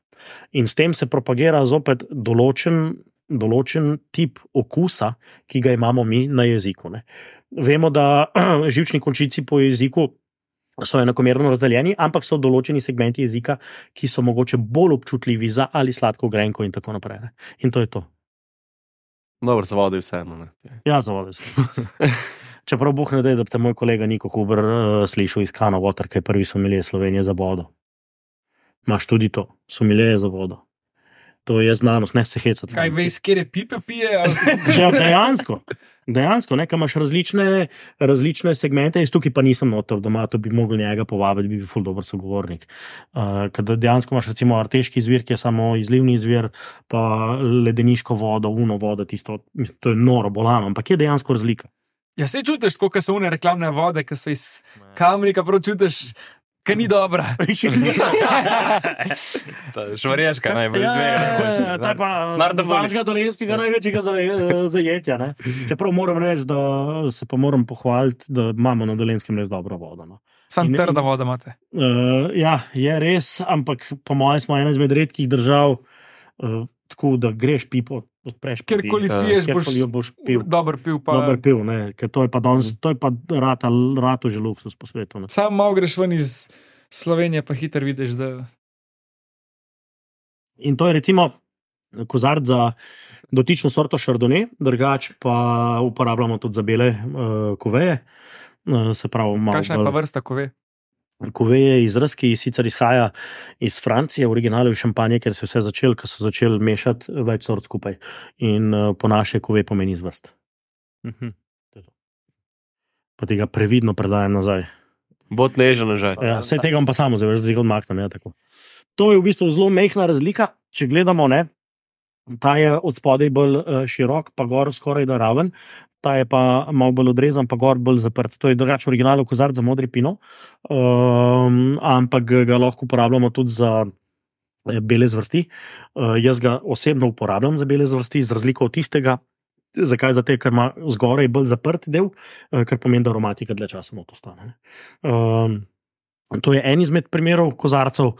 In s tem se propagira zopet določen tip okusa, ki ga imamo mi na jeziku. Ne. Vemo, da živčni končici po jeziku so enakomerno razdeljeni, ampak so določeni segmenti jezika, ki so mogoče bolj občutljivi za ali sladko grenko in tako naprej. Ne. In to je to. Dobro, za vodo je vseeno. Ne. Ja, za vodo je vseeno. Čeprav Bog ne da, da bi te moj kolega Niko Huber slišal iz Kana Water, kaj prvi sommelier Slovenije za vodo. Imaš tudi to, sommelier za vodo. To je znanost, ne se hecati. Kaj veš, kjer je pipe pije? Ja, dejansko, ne, kaj imaš različne segmente, jaz tukaj pa nisem noter doma, to bi mogel njega povabiti, bi bil ful dober sogovornik. Kad dejansko imaš recimo arteški izvir, ki je samo izlivni izvir, pa ledeniško vodo, uno vodo, tisto, mislim, to je noro bolano, ampak je dejansko razlika. Ja, se čutiš, koliko so une reklamne vode, ki so iz Kamnika, prav čutiš Ker ni dobra. Šmarješka najbolj izvega. To je pa našega dolenskega največjega zajetja. Ne? Čeprav moram reči, da se pa moram pohvaliti, da imamo na Dolenskem res dobro vodo. No. Sam trda voda imate. Ja, je res, ampak po mojem smo ena izmed redkih držav, tako da greš pipo, odpreš pipo. Kjerkoli piješ, boš pil. Dober pil. Dober pil, ne, ker to je pa danes, to je pa rato že luksus po svetu. Ne. Sam malo greš ven iz Slovenije, pa hiter vidiš, da... In to je recimo kozarc za dotično sorto Chardonnay, drugač pa uporabljamo tudi za bele kuveje. Se pravi, kakšna je pa vrsta kuve? Kuve je izraz, ki sicer izhaja iz Francije, originale v šampanje, ker se vse začelo, ker so začeli mešati več sort skupaj. In po naše kuve pomeni izvrst. Pa tega previdno predajam nazaj. Bot nežen nazaj. Ja, vse tega vam pa samo zaveš, da tega odmaknem. Ja, tako. To je v bistvu zelo mehna razlika, če gledamo, ne, ta je od spodaj bolj širok, pa gor skoraj da raven, ta je pa malo bolj odrezan, pa gor bolj zaprt. To je drugače originalno kozarc za modri pino, ampak ga lahko uporabljamo tudi za bele zvrsti. Jaz ga osebno uporabljam za bele zvrsti, z razliko od tistega. Zakaj? Zato, ker ima zgoraj bolj zaprt del, kar pomeni, da aromatika dlje časa not ostane. To je en izmed primerov kozarcev,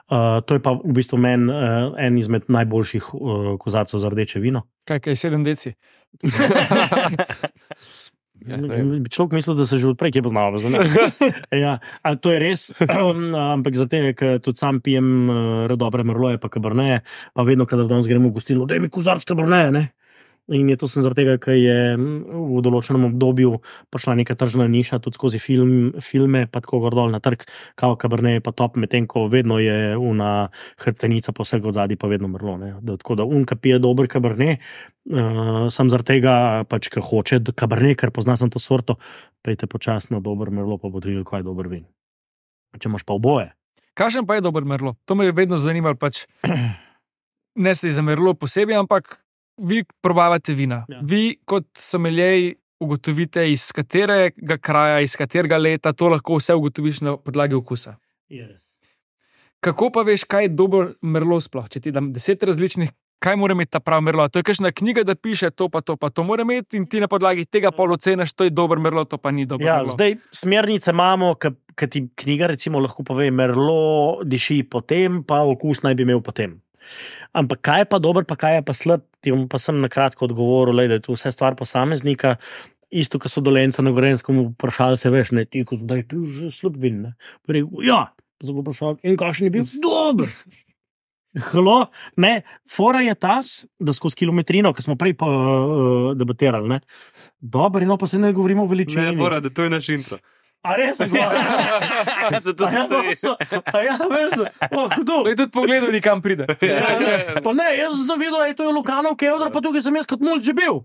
to je pa v bistvu meni en izmed najboljših kozarcev za rdeče vino. Kaj 7 deci? Človek misli, da se že odprej kje poznava. Ja, to je res, ampak zato, ker tudi sam pijem dobre merloje pa kaberneje, pa vedno, kadar danes gremo v gostilno, daj mi kozarc kaberneje, ne? In je to sem zaradi tega, ker je v določenem obdobju prišla neka tržna niša, tudi skozi filme, pa tako gor dol na trg, kao kaberneje pa top, medtem ko vedno je una hrbtenica po vsega odzadi pa vedno merlo. Ne? Tako da unka pije dober kabernej, sam zaradi tega, pač, ker hoče kabernej, ker pozna sem to sorto, pejte počasno dober merlo, pa bo videl, kaj je dober vin. Če imaš pa oboje. Kakšen pa je dober merlo? To me je vedno zanimalo, pač ne se za merlo posebej, ampak vi probavate vina. Ja. Vi kot sommelier ugotovite, iz katerega kraja, iz katerega leta, to lahko vse ugotoviš na podlagi okusa. Yes. Kako pa veš, kaj je dober merlo sploh? Če ti dam 10 različnih, kaj mora imeti ta prav merlo? To je kakšna knjiga, da piše to pa to mora imeti in ti na podlagi tega pol oceniš, to je dober merlo, to pa ni dober merlo. Zdaj, smernice imamo, ki ti knjiga recimo lahko pove, merlo diši potem, pa okus naj bi imel potem. Ampak kaj je pa dober, pa kaj je pa slab, ti bom pa sem na kratko odgovoril, da je to vse stvar posameznika, isto, ko so Dolenca na Gorenskem vprašali se, veš, ne, ti, ko zdaj pil že slab vin, ne. Rekel, ja, pa so ga vprašali, in kakšen je bil? Dober! Halo, ne, fora je ta, da skozi kilometrino, ki smo prej debatirali, ne, dober, no, pa se ne govorimo o veličini. Ne, fora, da to je naš intro. A res? Zato kdo? Je tudi pogledal, nikam pride. Pa ne, jaz sem zavidel, da je to Lukanov Kevdar, pa tukaj sem jaz kot mulj že bil.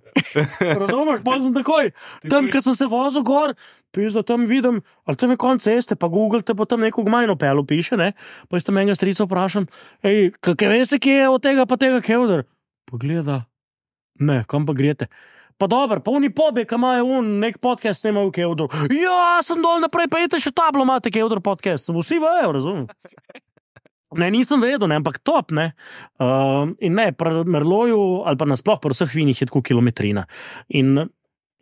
Razumeš, pa sem takoj. Tam, ko sem se vozil gor, piš, da tam vidim, ali tam je konc ceste, pa Google te pa tam neko gmajno pelo piše, ne? Pa jaz tam enega strica vprašam, kaj veste, kje je od tega pa tega Kevdar? Pogleda, ne, kam pa grete? Pa dober, pa oni pobe, ki imajo nek podcast, nemajo Kevdor. Ja, sem dol naprej, pa jete še tablo, imate Kevdor podcast. Vsi vejo, razumem. Ne, nisem vedel, ne, ampak top, ne. In ne, pri merloju, ali pa nasploh pri vseh vinih je tako kilometrina. In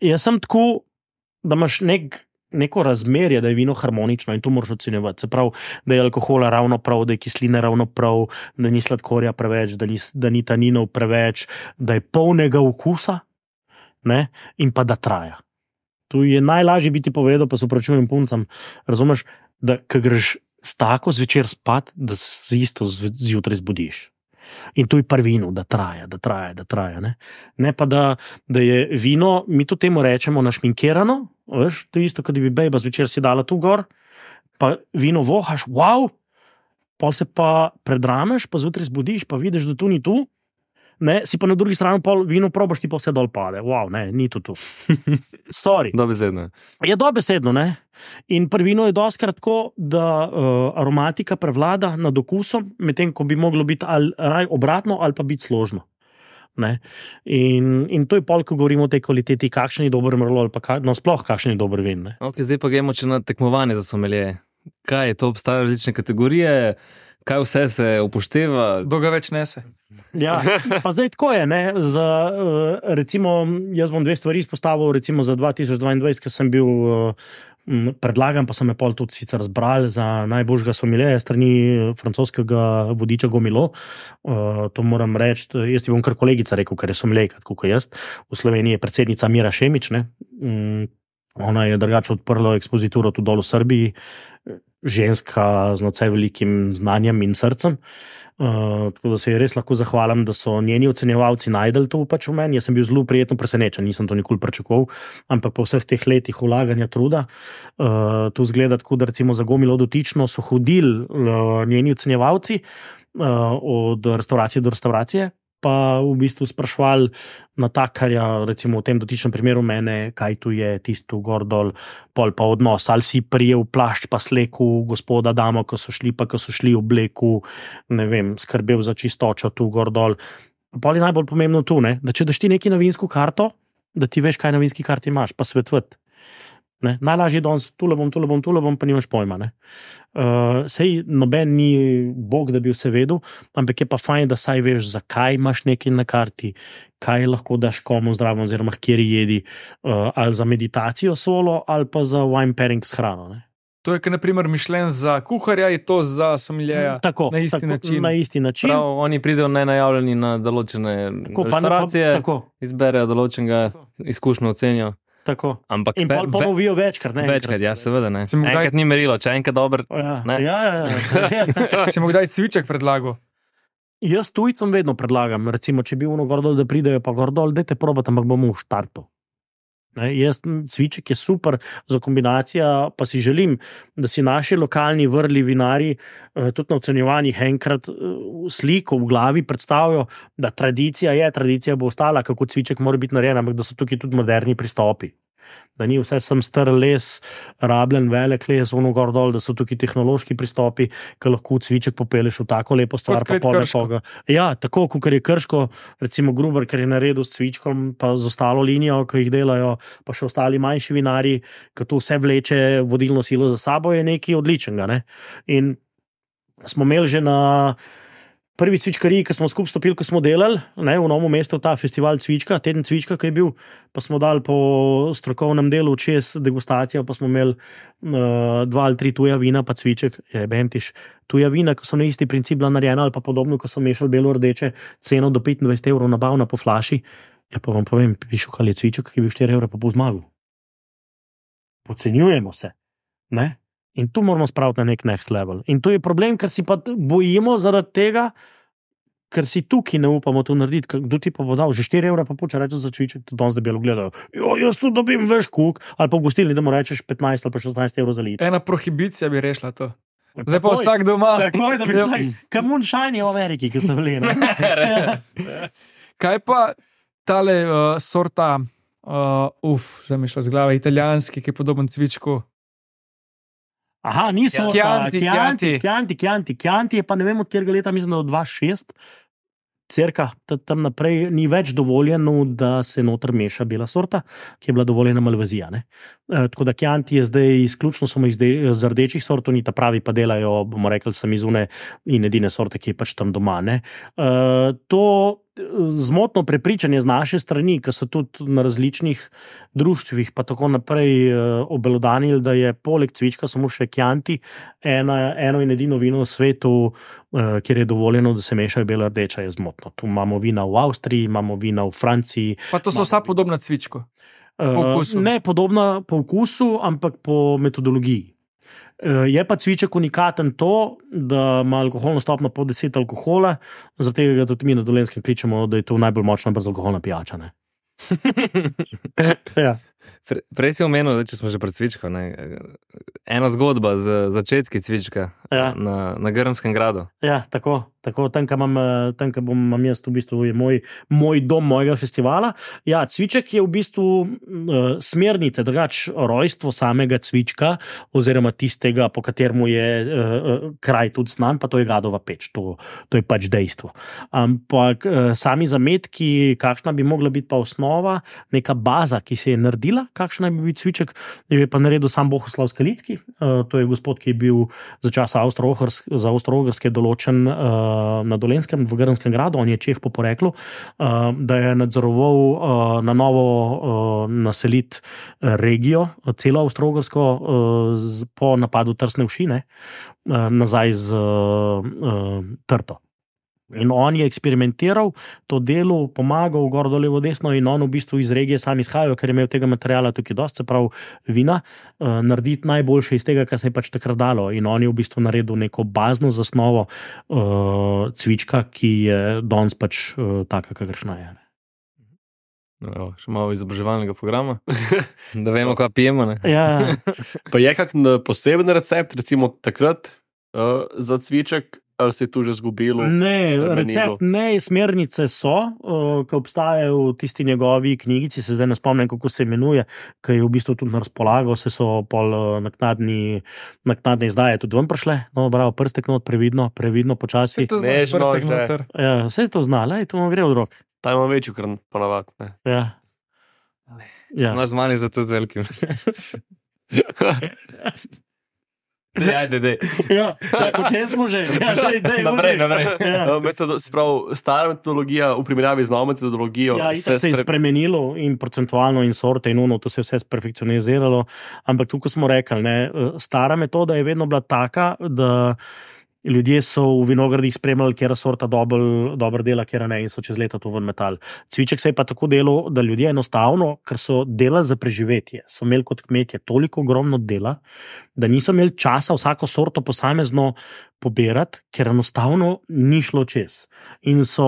jaz sem tako, da imaš neko razmerje, da je vino harmonično in to moraš ocenjevati. Se pravi, da je alkohola ravno prav, da je kisline ravno prav, da ni sladkorja preveč, da ni taninov preveč, da je polnega okusa. Ne? In pa da traja. Tu je najlažje biti povedal, pa se opravičujem puncam, razumeš, da ko greš s tako zvečer spat, da se isto zjutraj zbudiš. In tu je pri vinu, da traja. Ne pa da je vino, mi to temu rečemo našminkirano, veš, to je isto, kot bi bejba zvečer si dala tu gor, pa vino vohaš, wow, pol se pa predrameš, pa zjutraj zbudiš, pa vidiš, da tu ni tu. Ne, si pa na drugi strani pol vino probaš, ti pa vse dol pade. Wow, ne, ni to tu. Sorry. Dobesedno. Je dobesedno, ne. In pri vinu je doskrat tako, da aromatika prevlada nad okusom, medtem ko bi moglo biti ali obratno, ali pa biti složno. Ne. In to je pol, ko govorimo o tej kvaliteti, kakšen je dober merlot, ali pa nasploh kakšen je dober vin. Ne. Okay, zdaj pa gremo na tekmovanje za sommelier. kaj to obstajajo različne kategorije, kaj vse se upošteva. Dolga več nese. Ja, pa zdaj tako je. Recimo, jaz bom dve stvari izpostavil. Recimo za 2022, ker sem bil predlagan, pa so me pol tudi sicer zbrali za najboljšega somiljeja strani francoskega vodiča Gomilo. To moram reči, jaz ti bom kar kolegica rekel, ker je somiljejka, kot jaz. V Sloveniji je predsednica Mira Šemič, ne? Ona je drugače odprla ekspozituro tudi dol v Srbiji, ženska z nadvse velikim znanjem in srcem. Tako da se je res lahko zahvalim, da so njeni ocenjevalci najdel to pač v meni. Jaz sem bil zelo prijetno presenečen, nisem to nikoli pričakoval, ampak po vseh teh letih vlaganja truda, to zgleda tako, da recimo za Gomilo dotično so hodili njeni ocenjevalci od restauracije do restauracije, pa v bistvu sprašvali natakarja, recimo v tem dotičnem primeru mene, kaj tu je tisto gor dol, pol pa odnos, ali si prijel plašč pa sleku gospoda damo, ko so šli v obleku, ne vem, skrbel za čistočo tu gor dol. Pol je najbolj pomembno tu, ne? Da če daš ti neki na vinsko karto, da ti veš, kaj na vinski karti imaš, pa svetvati. Najlažje je danes, tule bom, pa nimaš pojma. Sej noben ni bog, da bi vse vedel, ampak je pa fajn, da saj veš, zakaj imaš nekaj na karti, kaj lahko daš komu zdravo, oziroma kjer jedi, ali za meditacijo solo, ali pa za wine pairing s hrano. Ne? To je, naprimer, mišljen za kuharja, je to za somiljeja na isti način. Prav, oni pridejo nenajavljeni na določene restauracije, izberejo določenega izkušnjo ocenijo. Tako. Ampak in ponovijo večkrat. Večkrat, ja, seveda. Enkrat ni merilo, če enkrat dober. Ja. Si mu kdaj cviček predlagal? Jaz tujcem vedno predlagam, recimo, če bi ono gor dol, da pridejo pa gor dol, dajte probati, ampak bomo v štartu. Cviček je super za kombinacijo, pa si želim, da si naši lokalni vrli vinari tudi na ocenjevanjih enkrat sliko v glavi predstavijo, da tradicija bo ostala, kako cviček mora biti narejen, ampak da so tukaj tudi moderni pristopi. Da ni vse sem star les, rabljen velik les, ono gor dol, da so tukaj tehnološki pristopi, ki lahko cviček popeleš v tako lepo stvar, pa pol nekoga. Ja, tako, kot je Krško, recimo Gruber, ker je naredil s cvičkom, pa z ostalo linijo, ki jih delajo, pa še ostali manjši vinari, ki to vse vleče vodilno silo za sabo, je nekaj odličnega. Ne? In smo imeli že na prvi cvičkariji, ki smo skupaj stopili, ko smo delali, v Novem mestu ta festival cvička, teden cvička, ki je bil, pa smo dali po strokovnem delu 6 degustacijo, pa smo imeli 2 ali 3 tuja vina, pa cviček, tuja vina, ki so na isti princip bila narejena, ali pa podobno, ko so mešali belo rdeče, ceno do 25 evrov nabavna po flaši, ja pa vam povem, pišu, kaj je cviček, ki je bil 4 evra pa po zmagu. Podcenjujemo se, ne? In tu moramo spraviti na nek next level. In to je problem, ker si pa bojimo zaradi tega, ker si tukaj ne upamo to narediti. Kdo ti pa bo dal že 4 evra, pa poča reče za cviček, to danes debelo gledajo. Jaz tu dobim veš kuk, ali pa v gostilni, da mu rečeš 15 ali pa 16 evrov za liter. Ena prohibicija bi rešila to. Zdaj pa vsak doma. Takoj, da bi vsak, kar moonshine je v Ameriki, ki so bili. Kaj pa tale sorta, zdaj mi šla z glave, italijanski, ki je podoben cvičku? Aha, niso Chianti. Chianti je pa ne vem od kjerega leta, mislim, da od 2006, cerka, tam naprej ni več dovoljeno, da se noter meša bela sorta, ki je bila dovoljena Malvazija. Tako da Chianti je zdaj izključno samo iz rdečih sort, oni ta pravi pa delajo, bomo rekli, samizune in edine sorte, ki je pač tam doma. To zmotno prepričanje z naše strani, ki so tudi na različnih društvih pa tako naprej obelodanili, da je poleg cvička samo še Chianti eno in edino vino v svetu, kjer je dovoljeno, da se mešajo bela rdeča, je zmotno. Tu imamo vina v Avstriji, imamo vina v Franciji. Pa to so vsa podobna cvičku? Ne podobna po okusu, ampak po metodologiji. Je pa cviček unikaten to, da ima alkoholno stopnjo po 10 alkohola, zato ga tudi mi na Dolenjskem kličemo, da je to najbolj močna brezalkoholna pijača. Ja. Prej si omenil, če smo že pri cvičku, ena zgodba z začetki cvička na Grmskem gradu. Ja, tako, tam, ko imam jaz, v bistvu je moj dom mojega festivala. Ja, cviček je v bistvu smernice, drugač rojstvo samega cvička, oziroma tistega, po kateremu je kraj tudi znan, pa to je Gadova peč, to je pač dejstvo. Ampak sami zametki, kakšna bi mogla biti pa osnova, neka baza, ki se je naredila naredila, kakšen naj bi bil cviček, je pa naredil sam Bohuslav Skalicki, to je gospod, ki je bil za časa za Avstro-Ogrske določen na Dolenjskem, v Grnskem gradu, on je Čeh po poreklu, da je nadzoroval na novo naseliti regijo, celo Avstro-Ogrsko po napadu Trsne Všine, nazaj z Trto. In on je eksperimentiral, to delo, pomagal, gor, dol, levo, desno, in on v bistvu iz regije sam izhajajo, ker je imel tega materiala tukaj dosti, se pravi vina, narediti najboljše iz tega, kar se je pač takrat dalo. In on je v bistvu naredil neko bazno zasnovo cvička, ki je danes pač taka, kakršna je. No, še malo izobraževalnega programa, da vemo, kaj pijemo. Ja. Pa je kak poseben recept, recimo takrat za cviček, ali se je tu že zgubilo? Ne, recept ne, smernice so, ki obstajajo v tisti njegovi knjigici, se zdaj ne spomnim, kako se imenuje, ki je v bistvu tudi na razpolago, se so pol naknadne izdaje tudi ven prišle, no, bravo, prstek not, previdno, počasi. Ja, vse to zna, to vam gre od rok. Ta ima večjo kran, ponavad. Ja. Naš mali za to z velikim. Dej. Ja, čakaj, če smo že. Ja, dej, naprej. Ja. Stara metodologija v primerjavi z novo metodologijo se je spremenilo in procentualno in sorte in to se je vse perfekcioniziralo, ampak tukaj smo rekli, ne, stara metoda je vedno bila taka, da ljudje so v vinogradih spremljali, kjera sorta dobro dela, kjera ne, in so čez leta to ven metal. Cviček se je pa tako delal, da ljudje enostavno, ker so delali za preživetje, so imeli kot kmetje toliko ogromno dela, da niso imeli časa vsako sorto posamezno pobirati, ker enostavno ni šlo čez. In so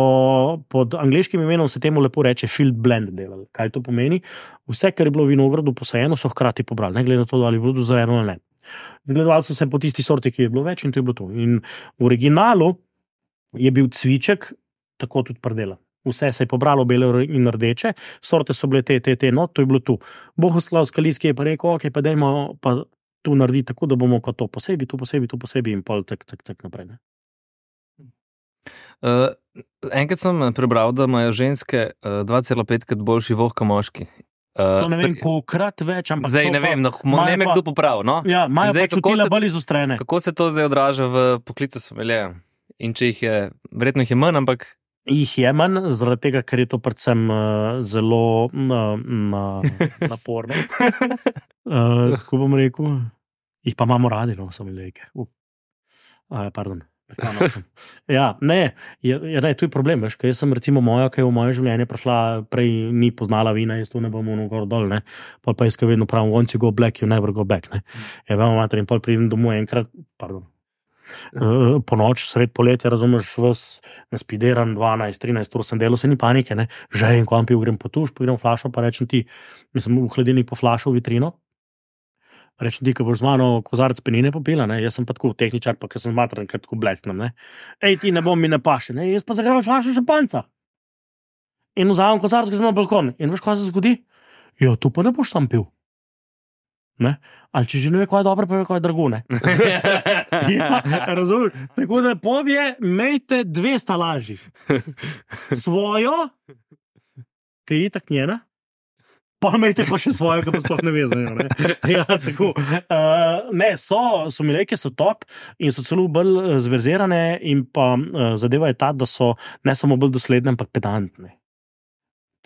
pod angleškim imenom se temu lepo reče field blend delali. Kaj to pomeni? Vse, kar je bilo v vinogradu posajeno, so hkrati pobrali, ne glede na to, ali je bilo dozajeno ali ne. Zgledovali so se po tisti sorti, ki je bilo več, in to je bilo to. In v originalu je bil cviček tako tudi predelan. Vse se je pobralo bele in rdeče, sorte so bile te, no, to je bilo tu. Bohuslav Skalicki je pa rekel, ok, pa dajmo pa tu narediti tako, da bomo pa to posebej, in pol cek naprej. Ne? Enkrat sem prebral, da imajo ženske 2,5-krat boljši voh kot moški. To ne vem, kolikrat več, ampak zdaj ne vem, ne me kdo popravi. No? Ja, imajo pa čutila bolj izostrene. Kako se to zdaj odraža v poklicu someljeja? In če jih je, verjetno jih je manj, ampak... Jih je manj, zaradi tega, ker je to predvsem zelo naporno. Kako bom rekel? Jih pa imamo radi, no, someljejke. Pardon. Ja, ne, tu je problem, veš, ker jaz sem recimo moja, ki je v moje življenje prišla, prej ni poznala vina, jaz tu ne bom gor dol, ne, pol pa jaz ka vedno pravim, once you go black, you never go back, ne, je vemo mater in pol pridem domov enkrat, po noč, sred poletja, razumeš, vas naspideran 12-13 ur sem delal, se ni panike, ne, že en ko vam pil, grem po tuš, pogledam flašo, pa rečem ti, mislim v hladilnik po flašo v vitrino, rečem ti, ko boš z mano kozarec penine popila, ne? Jaz sem pa tako tehničar, pa ker sem zmatran, ker tako blesknem, ne? Ej, ti ne bom mi ne paše, ne? Jaz pa zagrevam flašo šampanjca. In vzamem kozarec, grem na balkon. In veš, kaj se zgodi? Jo, tu pa ne boš sam pil. Ne? Ali če že ne ve, kaj je dobro, pa ve, kaj je drago, ne? Ja, razumeš? Tako da pobje, imejte 2 stalaži. Svojo, ki je itak njena, pa imejte pa še svojo, ki pa sploh ne vezajo. Ja, tako. Ne, somiljejke so top in so celo bolj zverzirane in pa zadeva je ta, da so ne samo bolj dosledne, ampak pedantne.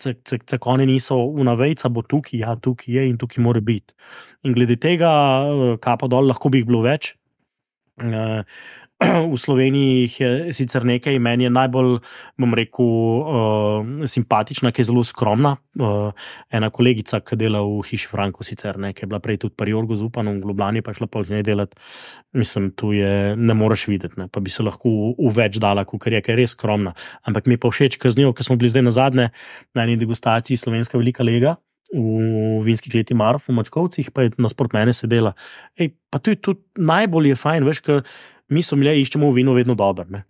Cek oni niso vnavejca, bo tukaj, ja, tukaj je in tukaj mora biti. In glede tega, kapa dol, lahko bi jih bilo več. V Sloveniji jih je sicer nekaj, meni je najbolj, bom rekel, simpatična, ki je zelo skromna. Ena kolegica, ki dela v Hiši Franko sicer, ne, ki je bila prej tudi pri Jorgu Zupanom v Ljubljani, pa je šla pol z njej delati. Mislim, tu je, ne moreš videti, ne, pa bi se lahko v več dala, ker je res skromna. Ampak mi pa všeč, ker z njo, ker smo bili zdaj nazadnje na eni degustaciji Slovenska velika lega v vinski kleti Marof v Mačkovcih, pa je nasprot mene sedela. Ej, pa to je tudi najbolj je fajn, veš, ker mi sommelier iščemo v vinu vedno dobro, ne.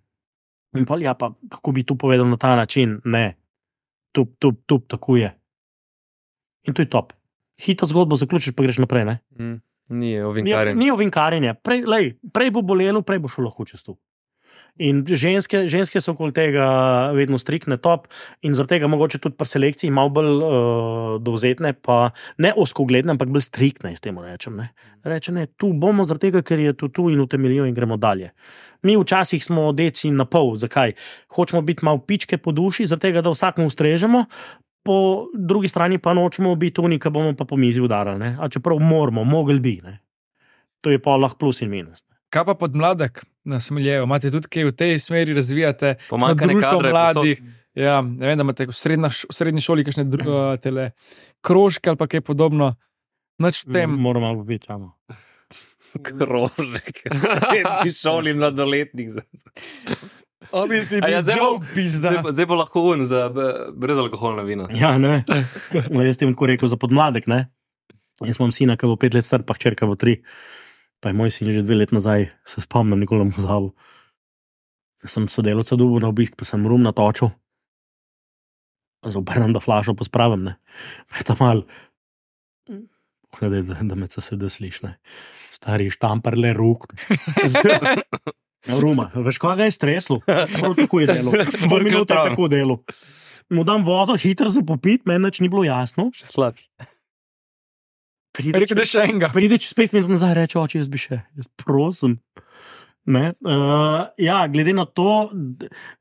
In pa, ja, pa kako bi tu povedal na ta način, ne, tup, tako je. In to je top. Hita zgodbo zaključiš, pa greš naprej, ne. Ni ovinkarjenje. Ni ovinkarjenje. Prej bo bolelo, prej bo šlo lahko čez to. In ženske so okoli tega vedno striktne, top, in zaradi tega mogoče tudi pri selekciji malo bolj dovzetne, pa ne ozkogledne, ampak bolj striktne, s tem rečem. Ne. Reče, ne, tu bomo zaradi tega, ker je tu in utemeljijo in gremo dalje. Mi včasih smo deci na pol, zakaj? Hočemo biti malo pičke po duši, zaradi tega, da vsakmu ustrežemo, po drugi strani pa nočemo biti oni, ki bomo pa po mizi udarali, ne. A čeprav moramo, mogli bi, ne. To je pa lahko plus in minus. Kaj pa podmladek na Smiljeju? Imate tudi kaj v tej smeri razvijate? Pomanjkanje kadra mladih. Ja, ne vem, da imate v srednji šoli kakšne krožke ali pa kaj podobno. Nič v tem. Moramo biti tamo. Krožek. Ti šoli mladoletnik. Zdaj bo lahko za brezalkoholna vina. Ja, ne. Jaz tem tako rekel za podmladek, ne. Jaz imam sina, ki bo 5 let star, pa hčerka bo 3. Pa je moj sin že 2 let nazaj, se spomnim, nikoli ne pozabil. Sem sodelavca dobil na obisk, pa sem rum natočil. Zobernem, da flašo pospravim, ne. Pa je tam mal, da me CSD sliš, ne. Stari štamparle ruk. Ruma, veš, kaj ga je streslo? Prav tako je delo. 2 minute je tako delo. Mu dam vodo, hitro za popit, meni nič ni bilo jasno. Še slabš. Pride čez 5 minut nazaj, reče, oči, jaz bi še, jaz prosim. Ne? Ja, glede na to,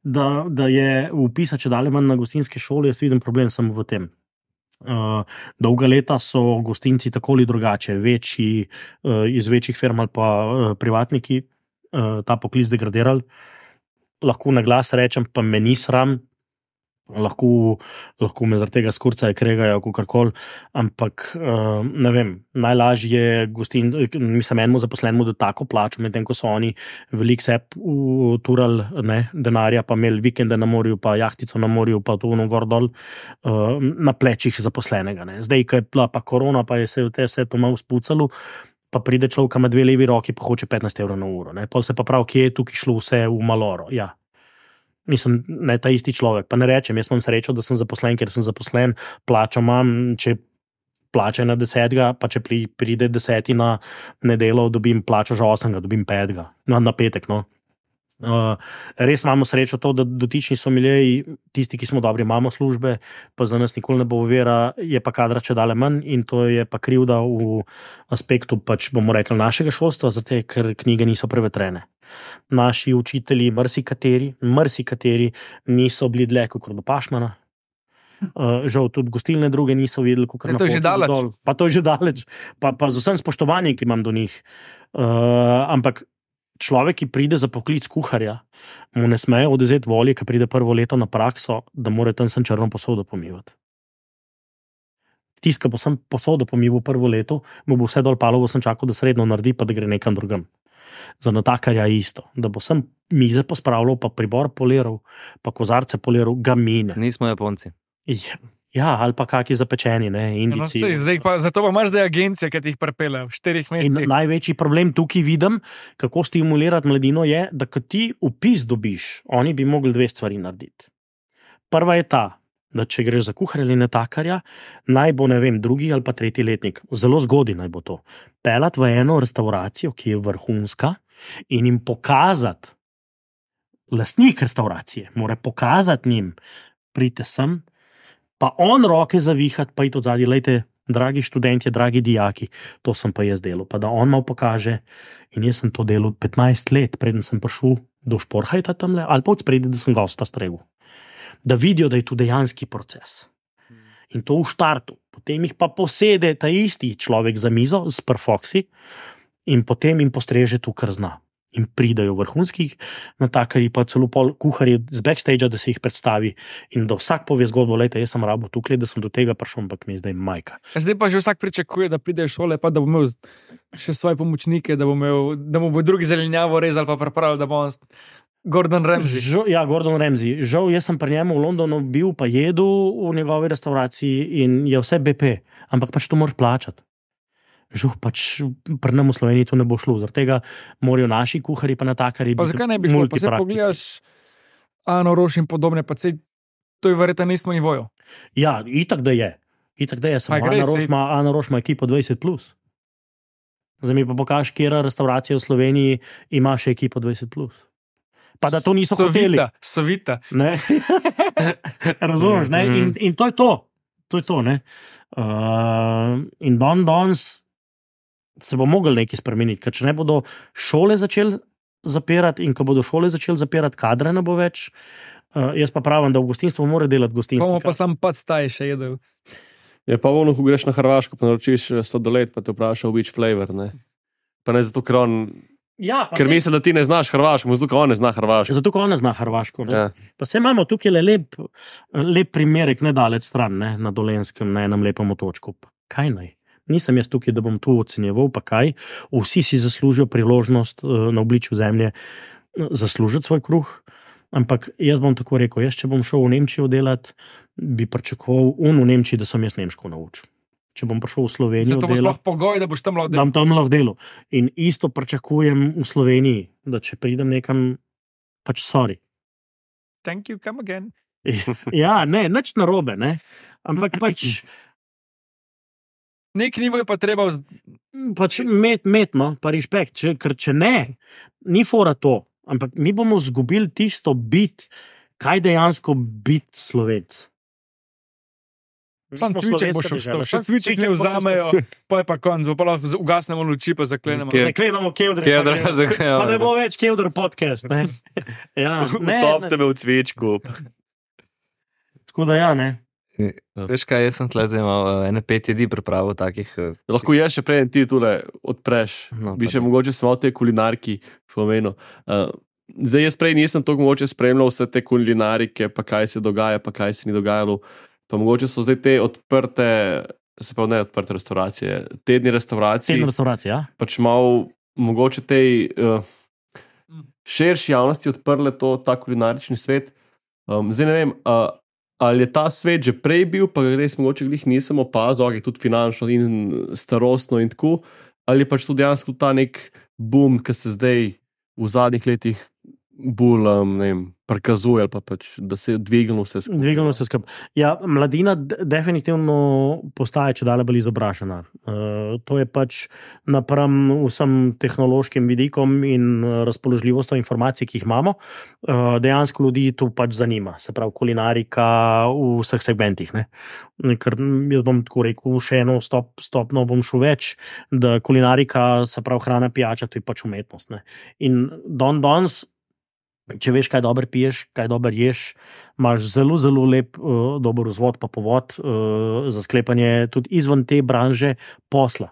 da je vpisa če dalje manj na gostinske šole, jaz vidim problem samo v tem. Dolga leta so gostinci tako ali drugače, večji, iz večjih firm ali pa privatniki ta poklic degradirali. Lahko na glas rečem, pa me ni sram, lahko me zaradi tega skurcajo, kregajo, kakorkoli, ampak ne vem, najlažje je enemu zaposlenemu da tako plačo, medtem ko so oni veliko seb uturali denarja, pa imeli vikende na morju, pa jahtico na morju, pa to gor dol na plečih zaposlenega. Ne. Zdaj, ko je bila pa korona, pa je se vse to malo spucalo, pa pride človek, ima 2 levi roki, pa hoče 15 evrov na uro. Ne. Pol se pa prav, kje je tukaj šlo vse v maloro, ja. Mislim, ne ta isti človek, pa ne rečem, jaz imam srečo, da sem zaposlen, ker sem zaposlen, plačo imam, če plača na 10, pa če pride 10 na nedelo, dobim plačo že 8, dobim 5, na petek, no. Res imamo srečo to, da dotični somiljeji, tisti, ki smo dobri, imamo službe, pa za nas nikoli ne bo ovira, je pa kadra če dale manj in to je pa krivda v aspektu, pač bomo rekli, našega šolstva, zato ker knjige niso prevetrene. Naši učitelji, marsikateri niso bili dlje kot do Pašmana. Žal tudi gostilne druge niso videli, kako to je že daleč. Pa to je že daleč, pa z vsem spoštovanjem, ki imam do njih. Ampak človek, ki pride za poklic kuharja, mu ne smejo odvzeti volje, ki pride prvo leto na prakso, da mora tam sem črno posodo pomivati. Tiska bo sem posodo pomival prvo leto, mu bo vse dol palovo sem čakal, da srednjo naredi, pa da gre nekam drugam. Za natakarja je isto, da bo sem mize pospravljal, pa pribor poliral, pa kozarce poliral, ga mine. Nismo Japonci. Ja, ali pa kaki zapečeni, ne, Indici. Zato pa imaš zdaj agencije, ki ti jih prepele v 4 mesecih. In največji problem tukaj vidim, kako stimulirati mladino je, da ko ti vpis dobiš, oni bi mogli 2 stvari narediti. Prva je ta, da če greš za kuharja ali natakarja, naj bo, ne vem, 2. ali pa 3. letnik, zelo zgodaj naj bo to, pelati v eno restauracijo, ki je vrhunska, in jim pokazati, lastnik restauracije, mora pokazati njim, pridite sem, pa on roke zavihati, pa iti od zadnji, lejte, dragi študentje, dragi dijaki, to sem pa jaz delal, pa da on malo pokaže, in jaz sem to delal 15 let, preden sem prišel do Šporhajta tamle, ali pa odspredi, da sem gosta stregel. Da vidijo, da je to dejanski proces. In to v štartu. Potem jih pa posede ta isti človek za mizo s perfoksi in potem jim postreže to, kar zna. In pridajo vrhunskih natakarji, pa celo kuharji z backstage, da se jih predstavi in da vsak pove zgodbo, lejte, jaz sem rabo tukaj, da sem do tega prišel, ampak mi je zdaj majka. Zdaj pa že vsak pričakuje, da pride v šole, pa da bo imel še svoje pomočnike, da mu bo drugi zelenjavo rezal, pa pripravil, da bo on Gordon Ramsay. Ja, Gordon Ramsay. Žal, jaz sem pri njemu v Londonu bil, pa jedel v njegovi restauraciji in je vse BP, ampak pač to moraš plačati. Žal, pač pri nam v Sloveniji to ne bo šlo, zaradi tega morajo naši kuharji pa natakarji. Pa zakaj ne bi šlo? Pa se pogledaš Ano Roš in podobne, pa se to je verjetno na istem nivoju. Ja, itak da je. Ano Roš ima ekipo 20+. Zdaj mi pa pokaži, kjera restauracija v Sloveniji ima še ekipo 20+. Pa da to niso hoteli. Sovita. Razumeš, ne? In to je to. To je to, ne? In danes se bo mogel nekaj spremeniti, ker če ne bodo šole začeli zapirati in ko bodo šole začeli zapirati, kadre ne bo več. Jaz pa pravim, da v gostinstvu mora delati gostinstvo. Bomo pa sam staj še jedel. Je pa ono, ko greš na Hrvaško, pa naročiš sladoled, pa te vpraša which flavor, ne? Pa ne zato, ker on... Ja, ker misli, da ti ne znaš hrvaško, zato, ker on ne zna hrvaško. Zato, ker on ne zna hrvaško. Ne? Ja. Pa se imamo tukaj lep primerek, nedaleč stran, ne? Na Dolenskem, na enem lepem otočku. Kaj naj? Nisem jaz tukaj, da bom tu ocenjeval, pa kaj. Vsi si zaslužijo priložnost na obličju zemlje zaslužiti svoj kruh, ampak jaz bom tako rekel, jaz če bom šel v Nemčijo delati, bi pričakoval v Nemčiji, da sem jaz nemško naučil. Če bom prišel v Slovenijo delati. Zato bo sploh pogoj, da boš tam lahko delal. Da bom tam lahko delal. In isto pričakujem v Sloveniji, da če pridem nekam, pač sorry. Thank you, come again. Ja, ne, nič narobe, ne. Ampak pač... Nek nivo je pa treba... Pač metno, pa respekt, ker če ne, ni fora to, ampak mi bomo zgubili tisto bit, kaj dejansko biti Slovenc. Sam cviček boš vstal, še cviček ne vzamejo, pa je pa konc, pa lahko ugasnemo luči, pa zaklenemo. Zaklenemo Kevdre, pa ne bo več Kevdre podcast, ne. Ja, Utop tebe v cvičku. Tako da ja, ne. Veš kaj, jaz sem tle zdaj imel ene 5 jedi pripravil takih. Lahko ješ še prej ti tule odpreš. Bi še mogoče samo te kulinarki pomenil. Zdaj jaz prej nisem toliko mogoče spremljal vse te kulinarike, pa kaj se dogaja, pa kaj se ni dogajalo. Pa mogoče so zdaj te odprte, se pa ne odprte restauracije, tedni restauracije. Tedni restauracije, ja. Pač malo mogoče tej širši javnosti odprle ta kulinarični svet. Zdaj ne vem, ali je ta svet že prej bil, pa res mogoče glih nisem opazil, tudi finančno in starostno in tako, ali pač tudi dejansko ta nek boom, ki se zdaj v zadnjih letih bolj, ne vem, prikazuje, ali pa pač, da se je dvignilo vse skupaj. Dvignilo vse skupaj. Ja, mladina definitivno postaje čedalje bolj izobražena. To je pač napram vsem tehnološkim vidikom in razpoložljivostjo informacij, ki jih imamo. Dejansko ljudi to pač zanima, se pravi kulinarika v vseh segmentih. Ne? Ker jaz bom tako rekel, še eno stopno bom šel več, da kulinarika, se pravi hrana, pijača, to je pač umetnost. Ne? In danes, če veš, kaj dobro piješ, kaj dobro ješ, imaš zelo, zelo lep dober vzvod pa povod za sklepanje tudi izven te branže posla.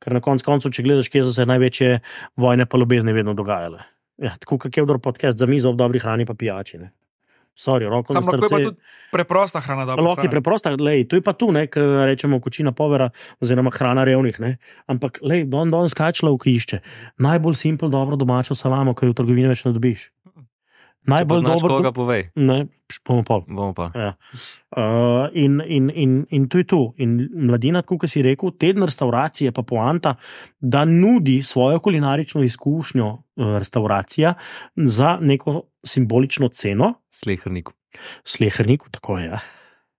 Ker na koncu, če gledaš, kje so se največje vojne pa ljubezni vedno dogajale. Ja, tako kak je podcast za mizo ob dobri hrani pa pijači. Ne? Sorry, roko na srce. Samo lahko je pa tudi preprosta hrana dobra. Lahko je preprosta, lej, to je pa tu, ne, ker rečemo kočina povera oziroma hrana revnih, ne. Ampak, lej, danes kaj človek išče? Najbolj simpel, dobro domačo salamo, ki jo v trgovini več ne dobiš. Najbolj dobro. Koga povej? Ne, bomo pa. Ja. In to je tu. In mladina, tako kot si rekel, teden restauracije pa poanta, da nudi svojo kulinarično izkušnjo restauracija za neko simbolično ceno. Sleherniku, tako je. Ja.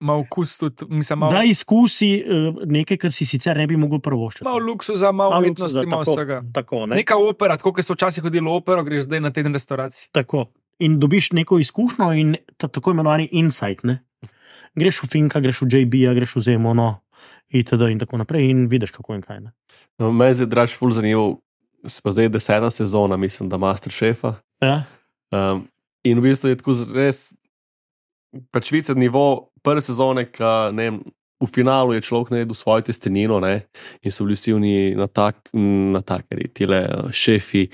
Mal okus tudi, mislim, da izkusi nekaj, kar si sicer ne bi mogel prvoščiti. Mal luksuza, mal umetnosti, mal vsega. Tako, ne? Neka opera, tako kot so včasih hodili v opero, greš zdaj na teden restauracij. Tako. In dobiš neko izkušnjo in tako imenovani insight, ne? Greš v Finka, greš v JB-ja, greš v Zemono, itd. In tako naprej in vidiš, kako in kaj, ne? No, meni je draž ful zanimivo, se pa zdaj 10. sezona, mislim, da Masterchefa. Ja. In v bistvu je tako res pač vice nivo prve sezone, ka, ne vem, v finalu je človek naredil svojo testenino, ne, in so bili vsi oni natakari, tile šefi,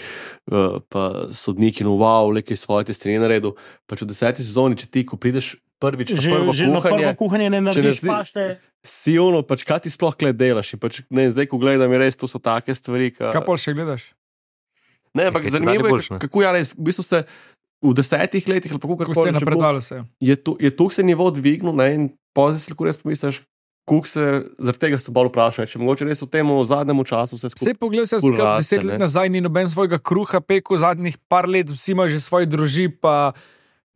pa sodniki, no wow, lekaj svoje testenine naredil. Pač v 10. sezoni, če ti, ko prideš prvič na prvo kuhanje, ne narediš pašte. Si ono, pač kaj ti sploh gled delaš in pač, ne, zdaj, ko gledam, je res, to so take stvari, ka... Kaj pol še gledaš? Ne, ampak zanimivo je, kako je res, v bistvu se v 10 letih, ali pa kako se je napredovalo se. Je tu se nivo dvignil, ne, in pozaj se lahko res pomisliš, kako se zaradi tega se bolj vprašajo, če mogoče res v tem zadnjem času vse skupaj. Vse pogled, vse skupaj 10 let nazaj ni noben svojega kruha pekel, zadnjih par let vsi imajo že svoje druži, pa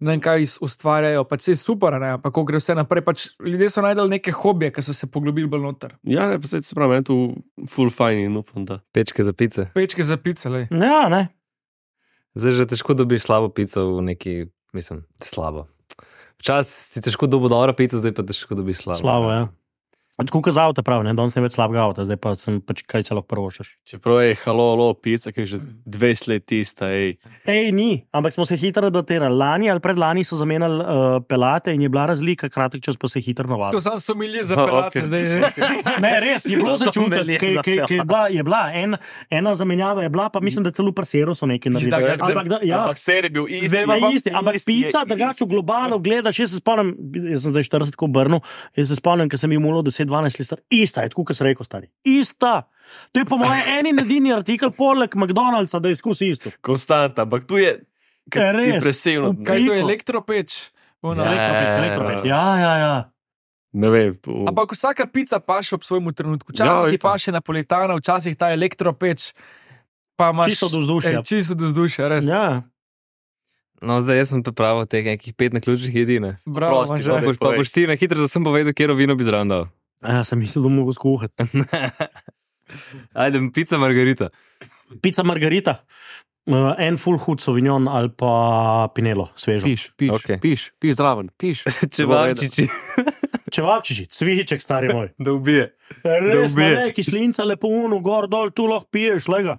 ne vem kaj ustvarjajo, pač vse super, ne, pa ko gre vse naprej, pač ljudje so najdeli neke hobije, ki so se poglobili bolj noter. Ja, ne, pa se pravi, je tu full fine in upam, da. Pečke za pice. Pečke za pice, lej. Ja, ne. Zdaj že težko dobiš slabo pico v neki, mislim, slabo. Včasih si težko dobil dobro pico, zdaj pa težko dobiš slabo. Slabo, ja. Tako kot za avto, prav, danes ne več slabega avta, zdaj pa sem pač kaj se lahko prvošaš. Čeprav je halo, pica, ki je že 20 let tista. Ni, ampak smo se hitro datirali. Lani ali predlani so zamenjali pelate in je bila razlika, kratek čas pa se hitro navadili. To sam so milje za pelate, zdaj že. Ne, res, je bilo začutiti, je bila ena zamenjava, je bila, pa mislim, da celo pri Seru so nekaj naredili. Ampak Ser je bil isti. Ampak pica, drugače v globalu gledaš, jaz se spomnim, jaz sem zdaj 40 ko obrnil, jaz se spomnim, ker sem imel 10-12 let star, ista je, tako kot sem rekel, stari. Ista! To je po mojem edini artikel poleg McDonald'sa, da izkusi isto. Konstanta, ampak tu je impresivno. Kaj to je elektropeč? Elektropeč. Ja. Ne vem. Ampak vsaka pica paše ob svojemu trenutku. Včasih ti paše napolitana, včasih ta elektropeč, pa imaš čisto do vzdušja. Čisto do vzdušja, res. Ja. No, zdaj jaz sem pripravil teh nekih 5 naključnih jedine. Bravo, Pa boš ti na hitro, da sem povedal, kjero vino bi zraven dal. Ja, sem mislil, da mogo skuhati. Ajde, pica margarita. Pica margarita. En full hud sauvignon ali pa pinelo, svežo. Piš zraven, piš. Čevapčiči, cviček, stari moj. Da ubije. Res, ne, kislinca, lepo uno, gor, dol, tu lahko piješ, lega.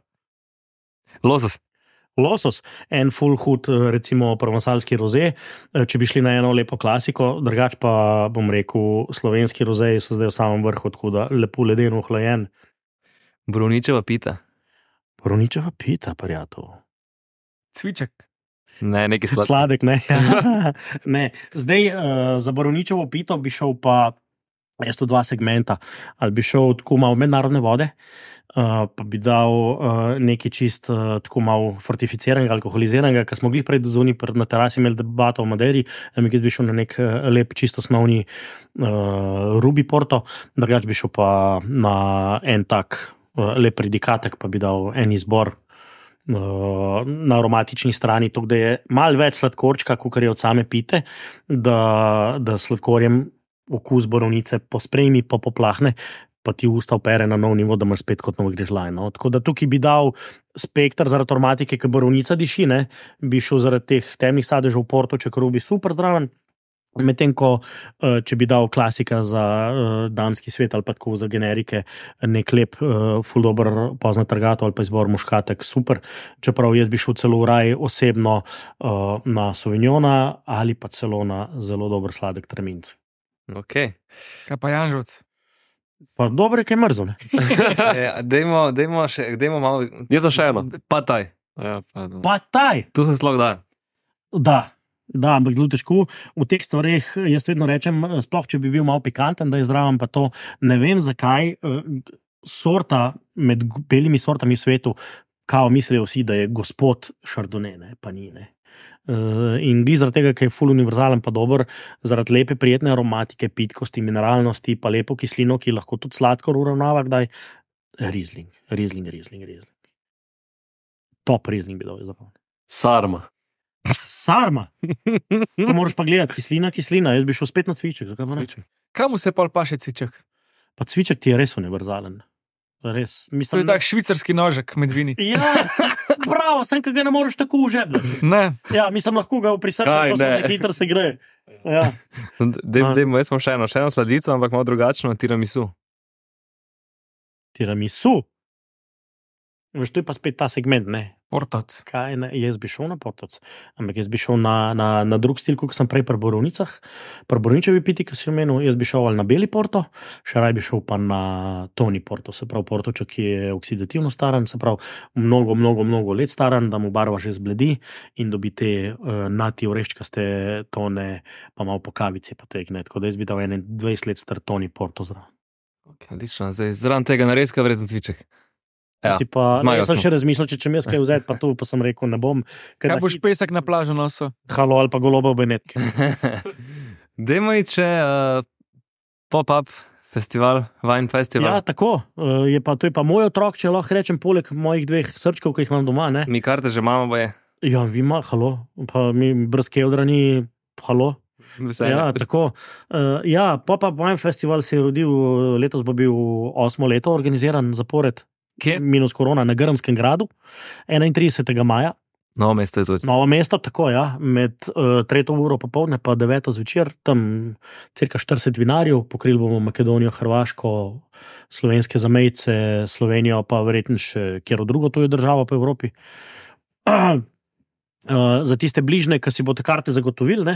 Losos, en full hud, recimo provansalski roze, če bi šli na eno lepo klasiko, drugač pa bom rekel, slovenski rozeji so zdaj v samem vrhu, tako da lepo ledeno ohlajen. Borovničeva pita. Borovničeva pita, prijatelj. Cviček. Ne, nekaj sladkega. Sladek, ne. Ne. Zdaj, za borovničevo pito bi šel pa, jaz to 2 segmenta, ali bi šel tako malo mednarodne vode, pa bi dal nekaj čist tako malo fortificiranega, alkoholiziranega, ker smo glih pred zunaj na terasi imeli debato o Maderi, mi bi šel na nek lep, čisto osnovni ruby porto, drugač bi šel pa na en tak lep predikatek, pa bi dal en izbor na aromatični strani, to, da je malo več sladkorčka, kot je od same pite, da sladkorjem okus borovnice pospremi, pa poplahne, pa ti usta opere na nov nivo, da imaš spet kot nov grižljaj. No? Tako da tukaj bi dal spektr zaradi aromatike, ker borovnica diši, ne? Bi šel zaradi teh temnih sadežev v porto, če kar bi super zdraven, medtem ko, če bi dal klasika za damski svet ali pa tako za generike, nek lep, ful dober pozna trgato ali pa izbor muškatek, super, čeprav jaz bi šel celo v raj osebno na Sauvignona ali pa celo na zelo dober sladek traminc. Ok. Kaj pa Janžovc? Pa dobro je, kaj mrzo, ne? Dajmo malo... Jaz sem še eno. Pataj. Ja, Pataj! Tu se slog da. Da, ampak zelo težko. V teh stvareh jaz vedno rečem, sploh če bi bil malo pikanten, da je zraven pa to, ne vem zakaj, sorta med belimi sortami v svetu, kao mislijo vsi, da je gospod Chardonnay, ne, pa ni, ne. In bi zaradi tega, ker je full univerzalen pa dober, zaradi lepe, prijetne aromatike, pitkosti, mineralnosti, pa lepo kislino, ki lahko tudi sladkor uravnava, kdaj Riesling. Top Riesling bi dal zapomnil. Sarma. To moraš pa gledati, kislina, jaz bi šel spet na cviček, zakaj pa ne? Kam se pol paše cviček? Pa cviček ti je res univerzalen. Res. To je tak švicarski nožek med vini. Ja, bravo, sem, ki ga ne moreš tako užebljati. Ne. Ja, mislim, lahko ga pri srcu se hitro se gre. Ja. Dajmo, jaz smo še eno sladico, ampak malo drugačno, tiramisu. Tiramisu? Veš, to je pa spet ta segment, ne? Portoc. Kaj, ne? Jaz bi šel na portoc, ampak jaz bi šel na drug stil, kot sem prej pri borovnicah. Pri borovničevi piti, ki si omenil, jaz bi šel ali na beli porto, še raj bi šel pa na toni porto, se pravi portoček, ki je oksidativno staran, se pravi mnogo let staran, da mu barva že zbledi in dobi te nati oreščkaste tone, pa malo po kavici, pa tegne. Tako da jaz bi dal 21 let star toni porto zraven. Odlično, zdaj zraven tega narezka vreden cviček. Ja, jaz sem še razmišljal, če mi kaj vzeti, pa tu pa sem rekel, ne bom. Kaj boš pesek na plažo nosil? Halo ali pa goloba v Benetki. Dajmo iti še pop-up festival, Wine Festival. Ja, tako. To je pa moj otrok, če lahko rečem, poleg mojih 2 srčkov, ki jih imam doma. Ne? Mi karte že imamo, boje. Ja, vi ima, halo. Pa mi brez keldra ni, halo. Veselje. Ja, tako. Pop-up Wine Festival se je rodil, letos bo bil 8. leto organiziran zapored. Kje? Minus korona na Grmskem gradu, 31. maja. Novo mesto je točno. Novo mesto, tako ja, med 3 uro popoldne pa 9 zvečer, tam cirka 40 vinarjev, pokrili bomo Makedonijo, Hrvaško, slovenske zamejce, Slovenijo, pa verjetno še kjero drugo tujo državo po Evropi. Za tiste bližnje, ki si boste karte zagotovili,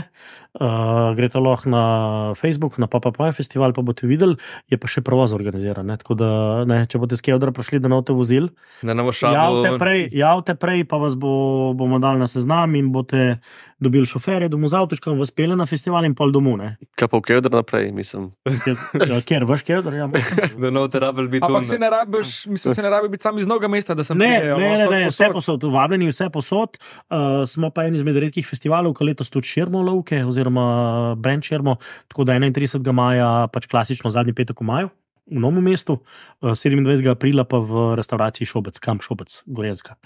greste lahko na Facebook, na PopUp festival, pa boste videli, je pa še prevoz organiziran. Tako da, če boste s Kevdra prišli, da note vozil, javte prej, pa vas bomo dali na seznam in boste dobili šoferje, domov z avtočkom, vas pele na festival in pol domov. Kaj pa v Kevdra naprej, mislim? Kjer, vaš Kevdr? Ja, da note rabel biti tu. Ampak se ne rabi biti sam iz Novega mesta, da sem Ne, vse posod, vabljeni vse posod. Smo pa en izmed redkih festivalov, ki letos tudi širimo lovke, oziroma brand širimo, tako da 31. maja, pač klasično zadnji petek v maju, v Novem mestu, 27. aprila pa v restavraciji Šobec, Kamp Šobec, Gorenjska.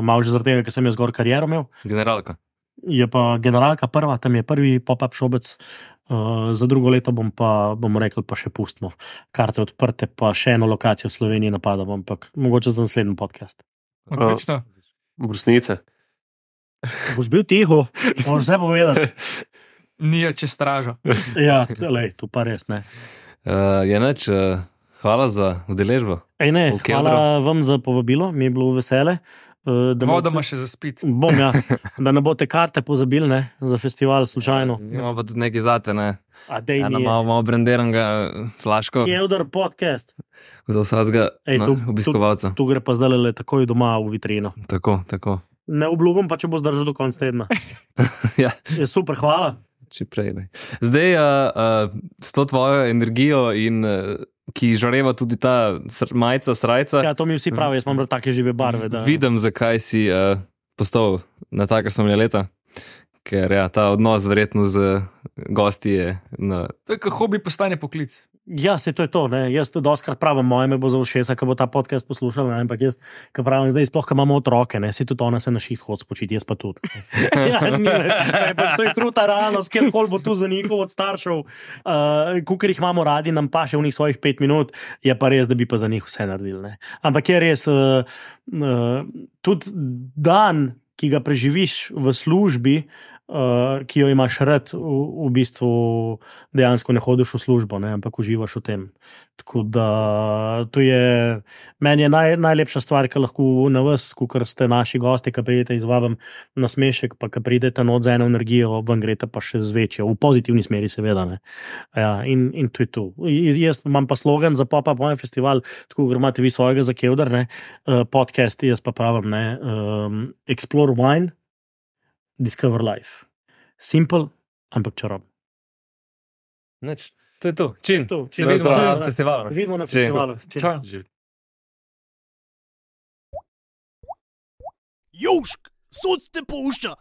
Malo že zaradi tega, ker sem jaz gor kariero imel. Generalka. Je pa generalka prva, tam je prvi pop-up Šobec, za drugo leto bomo rekli, pa še pustimo karte odprte, pa še eno lokacijo v Sloveniji napadamo, ampak mogoče za naslednji podcast. Odlično. Brusnice. Boš bil tiho, moraš vse povedati. Nijo čez stražo. Ja, tu pa res ne. Hvala za udeležbo. Hvala vam za povabilo, mi je bilo vesele. Vodoma še za spit. Bom, ja, da ne boste karte pozabili, za festival slučajno. Imamo pa tudi nekaj zate, Malo brandiranega Slaško. Kevdr podcast. Za vsakega obiskovalca. Tu gre pa zdaj takoj doma v vitrino. Tako. Ne obljubim pa, če bo zdržal do konca tedna. Ja. Je super, hvala. Čeprej, zdaj, s to tvojo energijo in ki žareva tudi ta majica, srajca. Ja, to mi vsi pravijo, jaz imam take žive barve. Vidim, zakaj si postal na taka so mi leta. Ker ta odnos verjetno z gosti je To je, ko hobi postane poklic. Ja, se to je to. Jaz doskrat pravim, moje me bo za ušesa, ko bo ta podcast poslušal, ampak jaz, ko pravim zdaj, sploh, ko imamo otroke, se tudi ona se na šiht hod spočiti, jaz pa tudi. To je kruta realnost, kjerkoli bo tu za njihov od staršev, kukor jih imamo radi, nam pa še v njih svojih 5 minut, je pa res, da bi pa za njih vse naredili. Ampak je res, tudi dan, ki ga preživiš v službi, ki jo imaš rad, v bistvu dejansko ne hodiš v službo, ampak uživaš v tem. Tako da to je, meni je najlepša stvar, ki lahko na vas, kakor ste naši gosti, ki pridete izvabim na smešek, pa ki pridete not za eno energijo, vam grete pa še z večjo, v pozitivni smeri seveda. Ja, in to je to. Jaz imam pa slogan za PopUp festival, tako kot imate vi svojega za Kevdr, podcast, jaz pa pravim, Explore Wine, Discover Life. Simple, ampak čarobno. To je to. Čim. Se vidimo na festivalu. Vidimo na festivalu. Čau. Južk, sod te pušča.